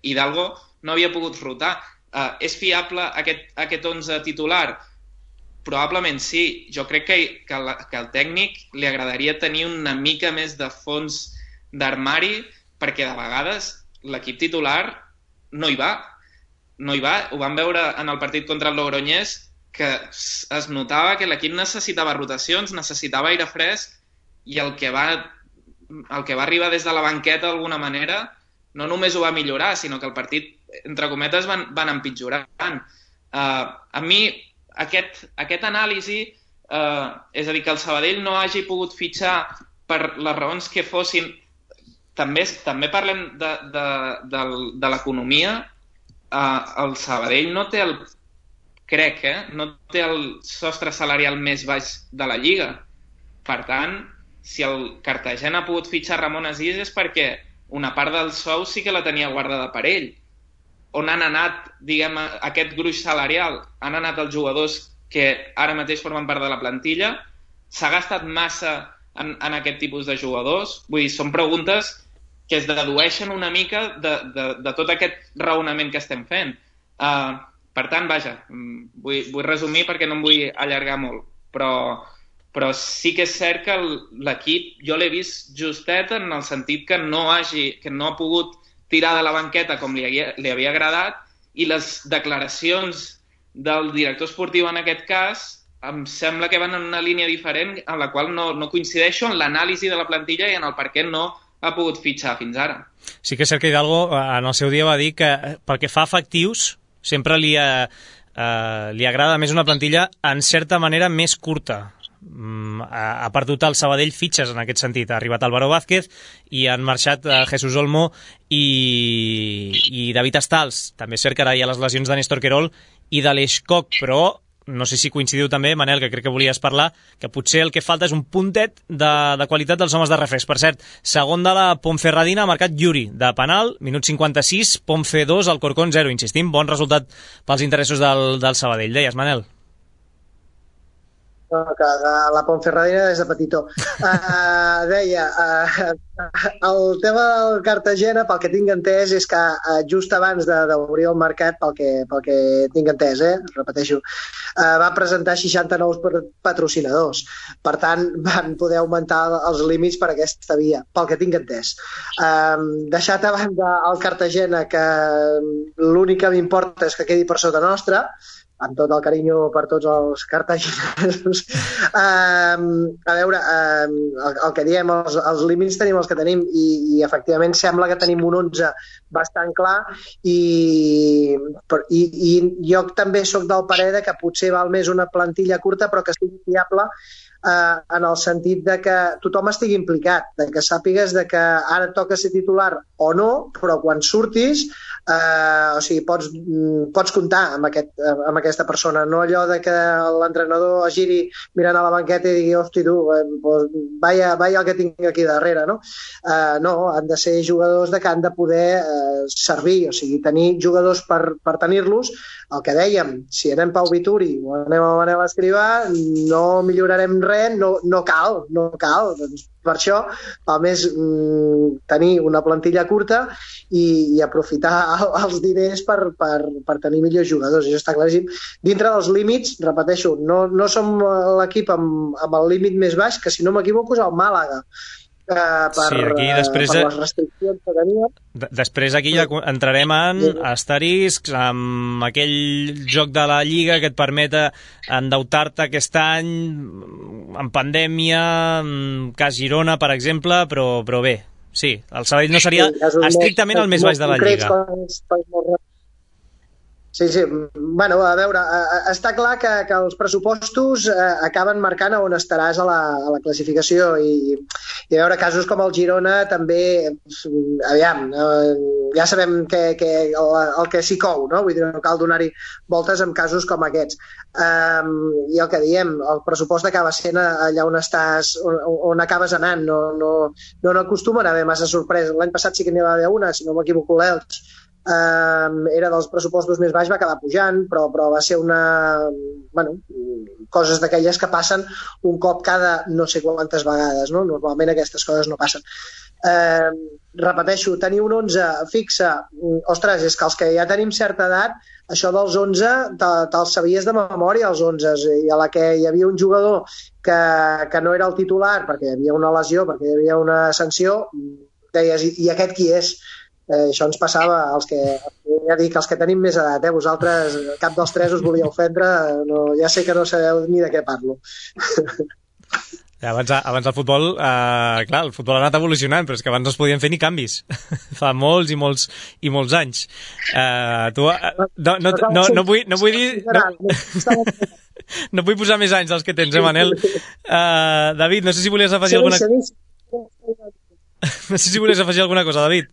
Hidalgo no havia pogut rotar. Uh, és fiable aquest, aquest onze titular? Probablement sí. Jo crec que, que, la, que al tècnic li agradaria tenir una mica més de fons d'armari, perquè de vegades l'equip titular no hi va. No hi va. Ho vam veure en el partit contra el Logroñés, que es notava que l'equip necessitava rotacions, necessitava aire fresc, i el que va, el que va arribar des de la banqueta d'alguna manera no només ho va millorar, sinó que el partit, entre cometes, van, van empitjorant. Uh, a mi, aquest, aquest anàlisi, uh, és a dir, que el Sabadell no hagi pogut fitxar per les raons que fossin, també, també parlem de, de, de, de l'economia. Uh, el Sabadell no té el, crec, eh, no té el sostre salarial més baix de la Lliga. Per tant, si el Cartagena ha pogut fitxar Ramon Asís és perquè una part del sou sí que la tenia guardada per ell. On han anat, diguem, aquest gruix salarial? Han anat els jugadors que ara mateix formen part de la plantilla? S'ha gastat massa en, en aquest tipus de jugadors? Vull dir, són preguntes que es dedueixen una mica de, de, de tot aquest raonament que estem fent. Uh, per tant, vaja, vull, vull resumir perquè no em vull allargar molt, però... però sí que és cert que l'equip jo l'he vist justet en el sentit que no, hagi, que no ha pogut tirar de la banqueta com li havia, li havia agradat, i les declaracions del director esportiu en aquest cas em sembla que van en una línia diferent en la qual no, no coincideixo en l'anàlisi de la plantilla i en el per què no ha pogut fitxar fins ara. Sí que és cert que Hidalgo en el seu dia va dir que pel que fa a efectius sempre li, ha, eh, li agrada més una plantilla en certa manera més curta. Ha perdut el Sabadell fitxes en aquest sentit. Ha arribat Álvaro Vázquez i han marxat Jesús Olmo i, i David Astals. També és cert que ara hi ha les lesions de Néstor Querol i d'Aleix Koch, però no sé si coincidiu també, Manel, que crec que volies parlar, que potser el que falta és un puntet de, de qualitat dels homes de refresc. Per cert, segon de la Ponferradina ha marcat Yuri, de penal, minut cinquanta-sis, Ponfe dos, Alcorcón zero. Insistim, bon resultat pels interessos del, del Sabadell. Deies, Manel?
No, que la Ponferradina és de petitó. Uh, deia, uh, el tema del Cartagena, pel que tinc entès, és que uh, just abans d'obrir el mercat, pel que, pel que tinc entès, eh, repeteixo, uh, va presentar seixanta nous patrocinadors. Per tant, van poder augmentar els límits per aquesta via, pel que tinc entès. Uh, deixat a banda el Cartagena, que l'únic que m'importa és que quedi per sota nostra, amb tot el carinyo per tots els cartaginesos. Um, a veure, um, el, el que diem, els, els límits tenim els que tenim i, i efectivament sembla que tenim un onze bastant clar i, i, i jo també sóc del parer de que potser val més una plantilla curta però que sigui fiable eh, en el sentit de que tothom estigui implicat, de que sàpigues de que ara toca ser titular o no, però quan surtis Uh, o sigui, pots, pots comptar amb, aquest, amb aquesta persona, no allò de que l'entrenador es giri mirant a la banqueta i digui, hosti tu, eh, pues, vaya, vaya el que tinc aquí darrere, no? Uh, no, han de ser jugadors de que han de poder uh, servir, o sigui, tenir jugadors per, per tenir-los. El que dèiem, si anem Pau Vituri o anem a Manel Escrivà, no millorarem res, no, no cal, no cal, doncs per això val més mm, tenir una plantilla curta i, i aprofitar els diners per, per, per tenir millors jugadors, això està claríssim. Dintre dels límits, repeteixo, no, no som l'equip amb, amb el límit més baix, que si no m'equivoco és el Màlaga. Eh, per, sí, aquí després, per les restriccions que tenia.
Després aquí ja entrarem en asteriscs, amb aquell joc de la Lliga que et permet endeutar-te aquest any, en pandèmia, cas Girona, per exemple, però, però bé, sí, el Sabadell no seria sí, estrictament el més baix de la Lliga.
Sí, sí. Bueno, a veure, està clar que, que els pressupostos eh, acaben marcant on estaràs a la, a la classificació i, i a veure, casos com el Girona també, aviam, eh, ja sabem que, que el, el que s'hi cou, no? Vull dir, no cal donar-hi voltes en casos com aquests. Um, I el que diem, el pressupost acaba sent allà on estàs, on, on acabes anant, no, no, no, no acostumen a haver massa sorpresa. L'any passat sí que n'hi va haver una, si no m'equivoco l'Elx, eh, era dels pressupostos més baix, va acabar pujant, però, però va ser una... Bueno, coses d'aquelles que passen un cop cada no sé quantes vegades, no? Normalment aquestes coses no passen. Eh, repeteixo, tenir un onze fixe, ostres, és que els que ja tenim certa edat, això dels onze te, te'ls sabies de memòria, els onze, i a la que hi havia un jugador que, que no era el titular perquè hi havia una lesió, perquè hi havia una sanció, deies, i, i aquest qui és? Eh, això ens passava als que, ja dic, els que tenim més edat, eh? Vosaltres, cap dels tres us volia ofendre, no, ja sé que no sabeu ni de què parlo.
Ja, abans, abans el futbol, eh, clar, el futbol ha anat evolucionant, però és que abans no es podien fer ni canvis. Fa molts i molts i molts anys. Eh, tu, eh, no, no, no, no, vull, no vull dir... No, no vull posar més anys dels que tens, eh, Manel? Eh, David, no sé si volies afegir alguna cosa. No sé si volies afegir alguna cosa, David.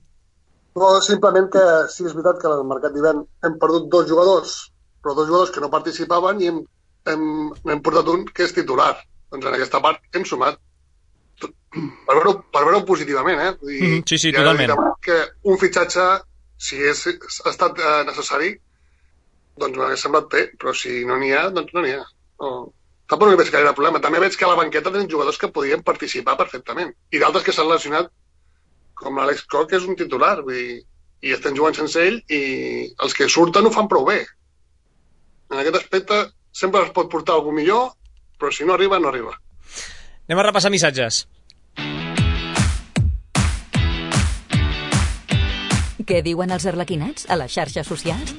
No, simplement que sí, és veritat que al mercat d'hivern hem perdut dos jugadors, però dos jugadors que no participaven i hem, hem, hem portat un que és titular. Doncs en aquesta part hem sumat per veure-ho per veure positivament, eh? I,
mm, sí, sí, totalment.
Que un fitxatge, si és, ha estat eh, necessari, doncs m'hauria semblat bé, però si no n'hi ha, doncs no n'hi ha. No. Tampoc no hi veig gaire problema. També veig que a la banqueta tenen jugadors que podien participar perfectament. I d'altres que s'han lesionat, com l'Àlex Koch, que és un titular, vull dir, i estan jugant sense ell, i els que surten ho fan prou bé. En aquest aspecte sempre es pot portar algú millor, però si no arriba, no arriba.
Anem a repassar missatges.
Què diuen els arlequinats a les xarxes socials?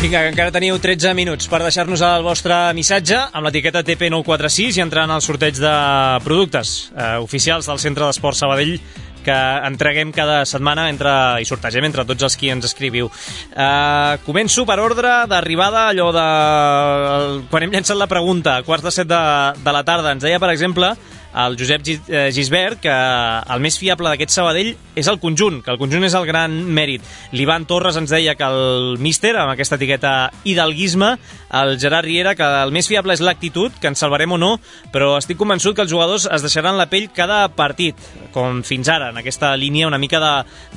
Vinga, que encara teniu tretze minuts per deixar-nos el vostre missatge amb l'etiqueta T P nou quatre sis i entrar en el sorteig de productes eh, oficials del Centre d'Esport Sabadell que entreguem cada setmana entre, i sortegem entre tots els qui ens escriviu. Uh, començo per ordre d'arribada, allò de... Quan hem llançat la pregunta, a quarts de set de, de la tarda, ens deia, per exemple, el Josep Gisbert, que el més fiable d'aquest Sabadell és el conjunt, que el conjunt és el gran mèrit. L'Ivan Torres ens deia que el míster, amb aquesta etiqueta hidalguisme, el Gerard Riera, que el més fiable és l'actitud, que ens salvarem o no, però estic convençut que els jugadors es deixaran la pell cada partit, com fins ara, en aquesta línia una mica de,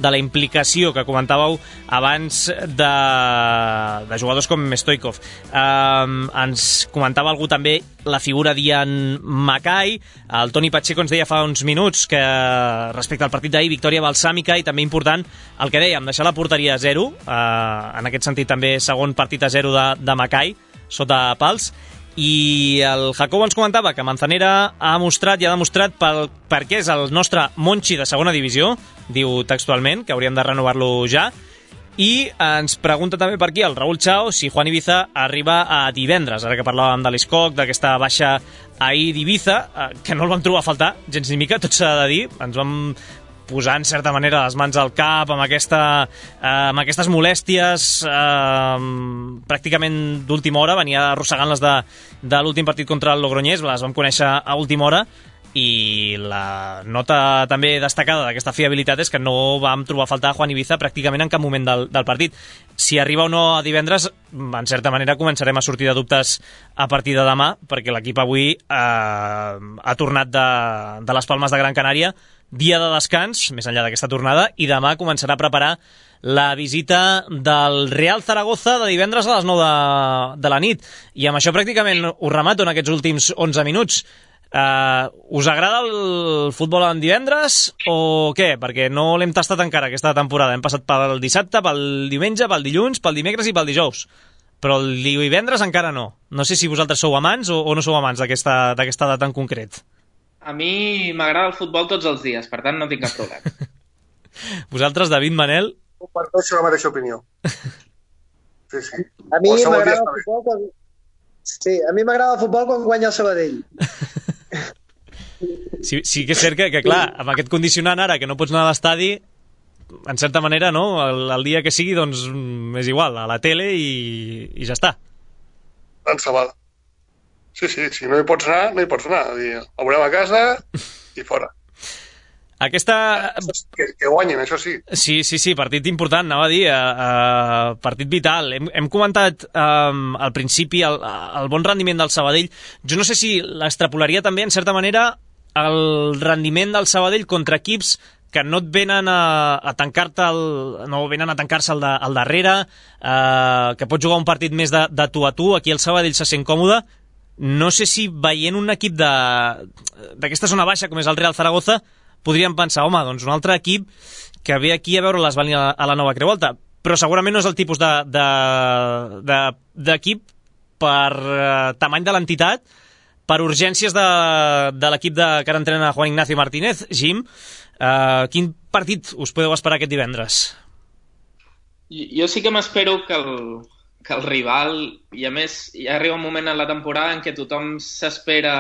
de la implicació que comentàveu abans de, de jugadors com Stoikov. Um, ens comentava algú també la figura d'Ian Mackay. El Toni Pacheco ens deia fa uns minuts que respecte al partit d'ahir, victòria balsàmica i també important el que dèiem, deixar la porteria a zero, eh, en aquest sentit també segon partit a zero de, de Mackay sota pals. I el Jacobo ens comentava que Manzanera ha mostrat i ha demostrat pel, per què és el nostre Monchi de segona divisió, diu textualment, que hauríem de renovar-lo ja. I ens pregunta també per aquí el Raúl Chao si Juan Ibiza arriba a divendres, ara que parlàvem de l'Escoc, d'aquesta baixa ahir d'Ibiza, que no el vam trobar a faltar gens ni mica, tot s'ha de dir, ens vam posar en certa manera les mans al cap amb, aquesta, eh, amb aquestes molèsties eh, pràcticament d'última hora, venia arrossegant les de, de l'últim partit contra el Logroñés, les vam conèixer a última hora, i la nota també destacada d'aquesta fiabilitat és que no vam trobar a faltar a Juan Ibiza pràcticament en cap moment del, del partit. Si arriba o no a divendres, en certa manera començarem a sortir de dubtes a partir de demà, perquè l'equip avui eh, ha tornat de, de les Palmes de Gran Canària, dia de descans, més enllà d'aquesta tornada, i demà començarà a preparar la visita del Real Zaragoza de divendres a les nou de, de la nit. I amb això pràcticament ho remato en aquests últims onze minuts. Uh, us agrada el futbol en divendres o què? Perquè no l'hem tastat encara aquesta temporada. Hem passat pel dissabte, pel diumenge, pel dilluns, pel dimecres i pel dijous. Però el divendres encara no. No sé si vosaltres sou amants o, o no sou amants d'aquesta d'aquesta data en concret.
A mi m'agrada el futbol tots els dies, per tant no tinc cap problema.
Vosaltres, David, Manel?
Comparteixo la mateixa opinió. Sí, sí.
A mi m'agrada el futbol quan... Sí, a mi m'agrada el futbol quan guanya el Sabadell.
Sí, sí que és cert que, que, clar, amb aquest condicionant ara que no pots anar a l'estadi, en certa manera, no? El, el dia que sigui, doncs, és igual, a la tele i, i ja està.
Tant se val. Sí, sí, si no hi pots anar, no hi pots anar. El veurem a casa i fora.
Aquesta...
Que, que guanyin, això sí.
Sí, sí, sí, partit important, anava a dir, uh, partit vital. Hem, hem comentat um, al principi el, el bon rendiment del Sabadell. Jo no sé si l'extrapolaria també, en certa manera, el rendiment del Sabadell contra equips que no et venen a, a tancar-te el, no venen a tancar-se al, de, al darrere, eh, que pots jugar un partit més de, de tu a tu. Aquí el Sabadell se sent còmode. No sé si veient un equip d'aquesta zona baixa com és el Real Zaragoza podríem pensar, home, doncs un altre equip que ve aquí a veure-les venir a, a la nova Creu Alta, però segurament no és el tipus d'equip de, de, de, per eh, tamany de l'entitat, per urgències de, de l'equip de, que ara entrena Juan Ignacio Martínez. Jim, uh, quin partit us podeu esperar aquest divendres?
Jo sí que m'espero que el, que el rival, i a més ja arriba un moment en la temporada en què tothom s'espera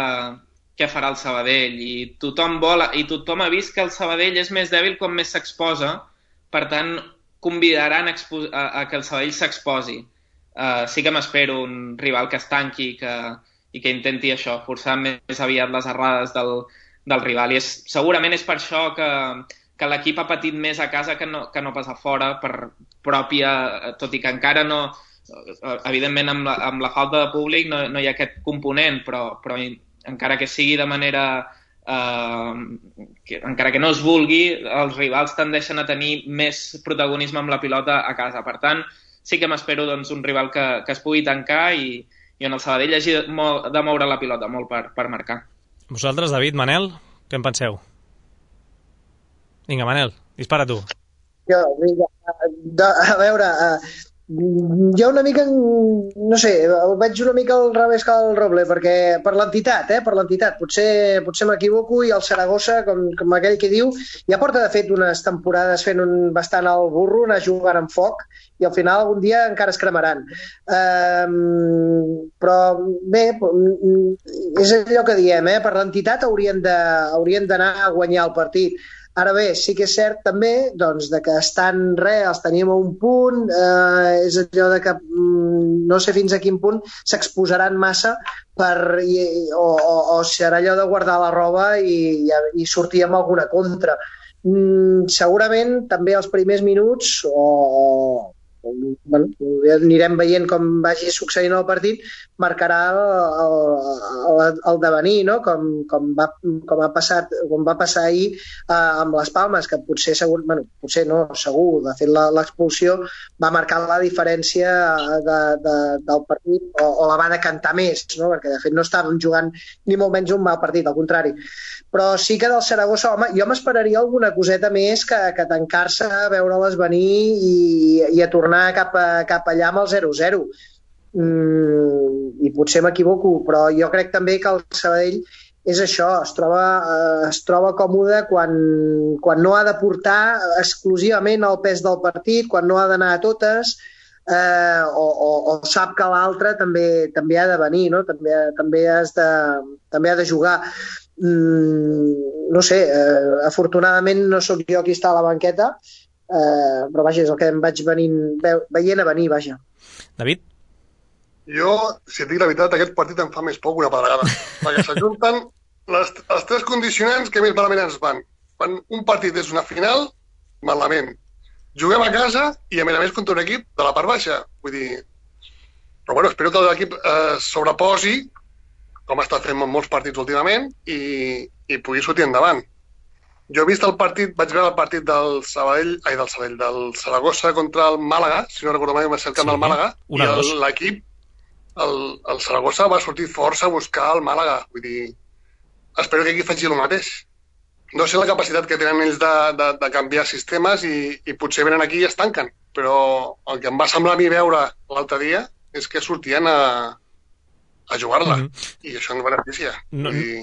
què farà el Sabadell, i tothom vol, i tothom ha vist que el Sabadell és més dèbil quan més s'exposa, per tant convidaran a, a, a que el Sabadell s'exposi. Uh, sí que m'espero un rival que es tanqui, que i que intenti això, forçar més aviat les errades del, del rival. I és, segurament és per això que, que l'equip ha patit més a casa que no, que no pas a fora, per pròpia, tot i que encara no, evidentment amb la, amb la falta de públic no, no hi ha aquest component, però, però encara que sigui de manera, eh, que, encara que no es vulgui, els rivals tendeixen a tenir més protagonisme amb la pilota a casa. Per tant, sí que m'espero doncs, un rival que, que es pugui tancar i i on el Sabadell hagi de moure la pilota molt per, per marcar.
Vosaltres, David, Manel, què en penseu? Vinga, Manel, dispara tu.
Jo, vinga, de, a veure, jo una mica, no sé, veig una mica al revés que el Roble, perquè per l'entitat, eh, per l'entitat, potser, potser m'equivoco, i el Saragossa, com, com aquell que diu, ja porta de fet unes temporades fent un bastant al burro, anar jugant amb foc, i al final algun dia encara es cremaran. Um, però bé, és allò que diem, eh? Per l'entitat haurien de, haurien d'anar a guanyar el partit. Ara bé, sí que és cert també doncs, de que estan res, els tenim a un punt, eh, és allò de que mm, no sé fins a quin punt s'exposaran massa per, i, o, o, o serà allò de guardar la roba i, i, i sortir amb alguna contra. Mm, segurament també els primers minuts o, o bueno, anirem veient com vagi succeint el partit, marcarà el, el, el devenir, no? com, com, va, com, ha passat, com va passar ahir eh, amb les Palmes, que potser segur, bueno, potser no, segur, de fet l'expulsió va marcar la diferència de, de, del partit, o, o la va decantar més, no? Perquè de fet no estàvem jugant ni molt menys un mal partit, al contrari. Però sí que del Saragossa, home, jo m'esperaria alguna coseta més que, que tancar-se, veure-les venir i, i a tornar cap, a, cap allà amb el zero zero. Mm, I potser m'equivoco, però jo crec també que el Sabadell és això, es troba, eh, es troba còmode quan, quan no ha de portar exclusivament el pes del partit, quan no ha d'anar a totes, eh, o, o, o sap que l'altre també, també ha de venir, no? també, també, has de, també ha de jugar. Mm, no sé, eh, afortunadament no sóc jo qui està a la banqueta, eh, però vaja, és el que em vaig venint, ve, veient a venir, vaja.
David?
Jo, si et dic la veritat, aquest partit em fa més por que una pedregada, perquè s'ajunten les, els tres condicionants que més malament ens van. Quan un partit és una final, malament. Juguem a casa i a més a més contra un equip de la part baixa, vull dir... Però bueno, espero que l'equip eh, sobreposi, com està fent molts partits últimament, i, i pugui sortir endavant. Jo he vist el partit, vaig veure el partit del Sabadell, ai, del Sabadell, del Saragossa contra el Màlaga, si no recordo mai, va ser el camp sí, del Màlaga, i l'equip, el, el Saragossa va sortir força a buscar el Màlaga. Vull dir, espero que aquí faci el mateix. No sé la capacitat que tenen ells de, de, de canviar sistemes i, i potser venen aquí i es tanquen, però el que em va semblar a mi veure l'altre dia és que sortien a a jugar-la, mm-hmm. i això ens beneficia. No, I,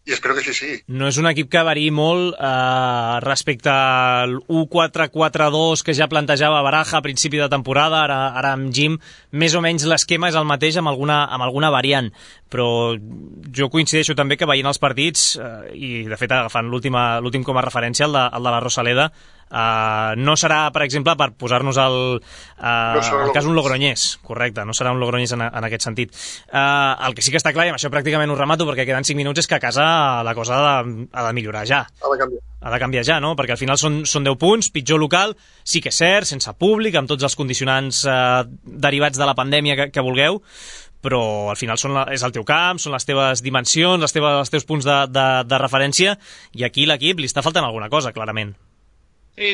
i espero que així sigui.
No és un equip que variï molt eh, respecte al u quatre quatre dos que ja plantejava Baraja a principi de temporada, ara, ara amb Jim, més o menys l'esquema és el mateix amb alguna, amb alguna variant, però jo coincideixo també que veient els partits, eh, i de fet agafant l'últim com a referència, el de, el de la Rosaleda, Uh, no serà, per exemple, per posar-nos el, uh, no el cas un Logroñés, correcte, no serà un Logroñés en, en aquest sentit. Uh, el que sí que està clar, i amb això pràcticament ho remato perquè queden cinc minuts, és que a casa la cosa ha de, ha de millorar ja.
Ha de canviar.
Ha de canviar ja, no? Perquè al final són, són deu punts, pitjor local, sí que és cert, sense públic, amb tots els condicionants uh, derivats de la pandèmia que, que vulgueu, però al final són la, és el teu camp, són les teves dimensions, les teves, els teus punts de, de, de referència, i aquí l'equip li està faltant alguna cosa, clarament.
Sí,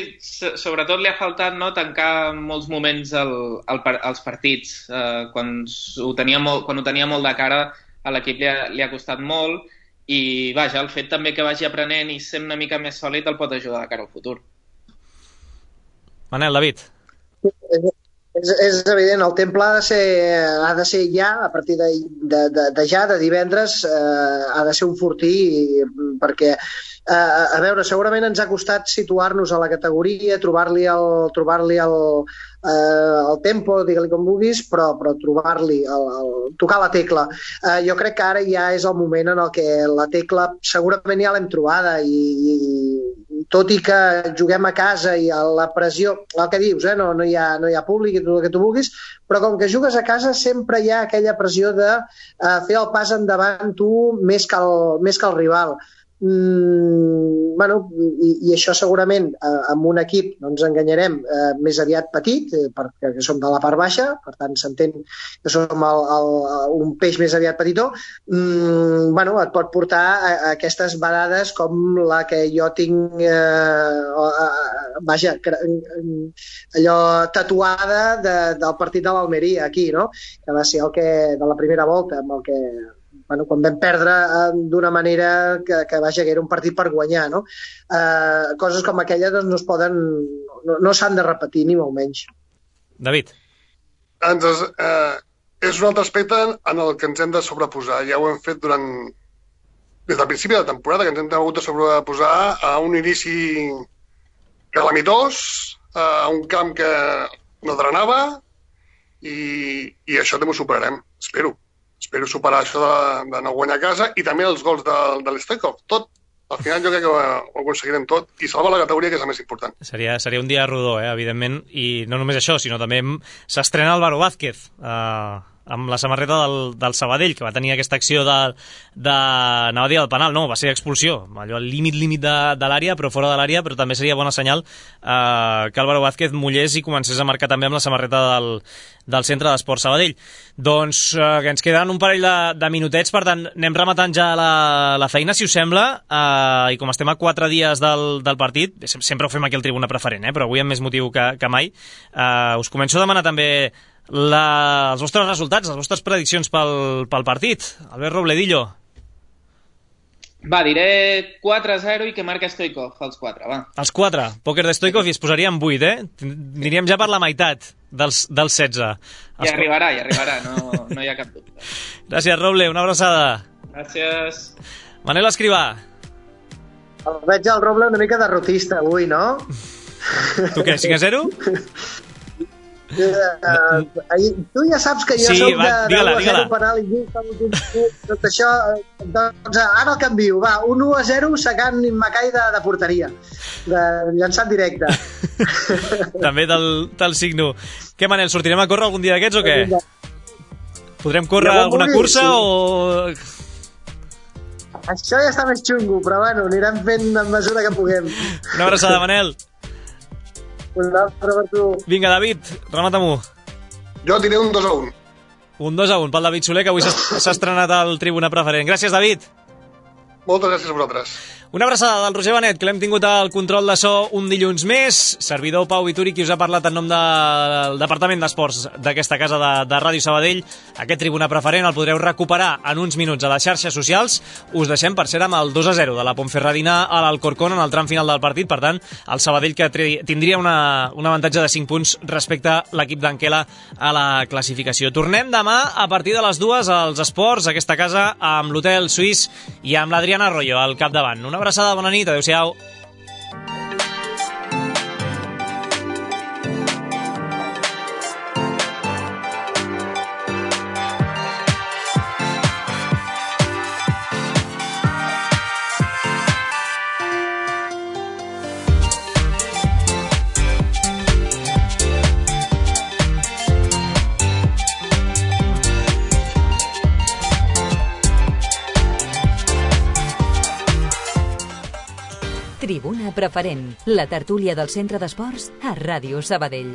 sobretot li ha faltat no, tancar molts moments el, el, els partits. Eh, quan, ho tenia molt, quan ho tenia molt de cara, a l'equip li, ha, li ha costat molt, i vaja, el fet també que vagi aprenent i sent una mica més sòlid el pot ajudar de cara al futur.
Manel, David.
És, és evident, el temple ha de ser, ha de ser ja, a partir de, de, de, de ja, de divendres, eh, ha de ser un fortí, perquè Uh, a veure, segurament ens ha costat situar-nos a la categoria, trobar-li el, trobar-li el, uh, el tempo, digue-li com vulguis, però, però trobar-li, el, el, tocar la tecla. Uh, jo crec que ara ja és el moment en el que la tecla segurament ja l'hem trobada i, i tot i que juguem a casa i a la pressió, el que dius, eh, no, no, hi ha, no hi ha públic i tot el que tu vulguis, però com que jugues a casa sempre hi ha aquella pressió de uh, fer el pas endavant tu més que el, més que el rival. Mm, bueno, i, i això segurament eh, amb un equip, no ens enganyarem, eh, més aviat petit, eh, perquè som de la part baixa, per tant s'entén que som el, el, un peix més aviat petitó, mm, bueno, et pot portar a, a aquestes vedades com la que jo tinc eh, eh, vaja, allò tatuada de, del partit de l'Almeria aquí, no? Que va ser el que, de la primera volta, amb el que bueno, quan vam perdre eh, d'una manera que, que vaja, que era un partit per guanyar, no? Eh, coses com aquella doncs, no es poden, no, no s'han de repetir ni molt menys.
David.
Doncs, eh, és un altre aspecte en el que ens hem de sobreposar. Ja ho hem fet durant des del principi de la temporada, que ens hem hagut de sobreposar a un inici calamitós, a un camp que no drenava, i, i això també ho superarem, espero. Espero superar això de, de no guanyar a casa i també els gols de, de l'Stoikov. Tot, al final jo crec que ho, ho aconseguirem tot i salvar la categoria, que és el més important.
Seria, seria un dia rodó, eh, evidentment, i no només això, sinó també s'estrena Álvaro Vázquez, eh, amb la samarreta del, del Sabadell, que va tenir aquesta acció de, de anava a dir el penal, no, va ser expulsió, allò al límit límit de, de l'àrea, però fora de l'àrea, però també seria bona senyal eh, que Álvaro Vázquez mullés i comencés a marcar també amb la samarreta del, del Centre d'Esport Sabadell. Doncs eh, que ens queden un parell de, de minutets, per tant anem rematant ja la, la feina, si us sembla, eh, i com estem a quatre dies del, del partit, sempre ho fem aquí al Tribuna Preferent, eh, però avui amb més motiu que, que mai, eh, us començo a demanar també La, els vostres resultats, les vostres prediccions pel, pel partit. Albert Robledillo.
Va, diré quatre a zero i que marca Stoikov, els quatre, va.
Els quatre, pòquer de Stoikov, i es posaríem vuit, eh? Aniríem ja per la meitat dels, dels setze.
I es... arribarà, i arribarà, no, no hi ha cap dubte.
Gràcies, Roble, una abraçada.
Gràcies.
Manel Escrivà.
El veig al Roble una mica derrotista avui, no?
Tu què, cinc a zero?
Uh, tu ja saps que jo
sí,
soc de,
va, digue-la,
de zero penal i tot això, doncs ara el canvio, va, un u a zero sacant Macai de, de porteria, de llançant directe.
També te'l signo. Què, Manel, sortirem a córrer algun dia d'aquests o què? Podrem córrer ja alguna cursa sí. o...
Això ja està més xungo, però bueno, anirem fent en mesura que puguem.
Una abraçada, Manel.
Un altre per tu.
Vinga, David, remata-m'ho.
Jo diré un dos a un.
Un dos a un pel David Soler, que avui s'ha estrenat al Tribuna Preferent. Gràcies, David.
Moltes gràcies a vosaltres.
Una abraçada del Roger Benet, que l'hem tingut al control de so un dilluns més. Servidor Pau Vituri, qui us ha parlat en nom del Departament d'Esports d'aquesta casa de, de Ràdio Sabadell. Aquest Tribuna Preferent el podreu recuperar en uns minuts a les xarxes socials. Us deixem, per ser, amb el dos a zero de la Ponferradina a l'Alcorcón en el tram final del partit. Per tant, el Sabadell, que tindria una, un avantatge de cinc punts respecte a l'equip d'Anquela a la classificació. Tornem demà a partir de les dues als esports, a aquesta casa, amb l'Hotel Suís i amb l'Adriana Arroyo al capdavant. Una abraçada, bona nit, adeu-siau.
Tribuna Preferent, la tertúlia del Centre d'Esports a Ràdio Sabadell.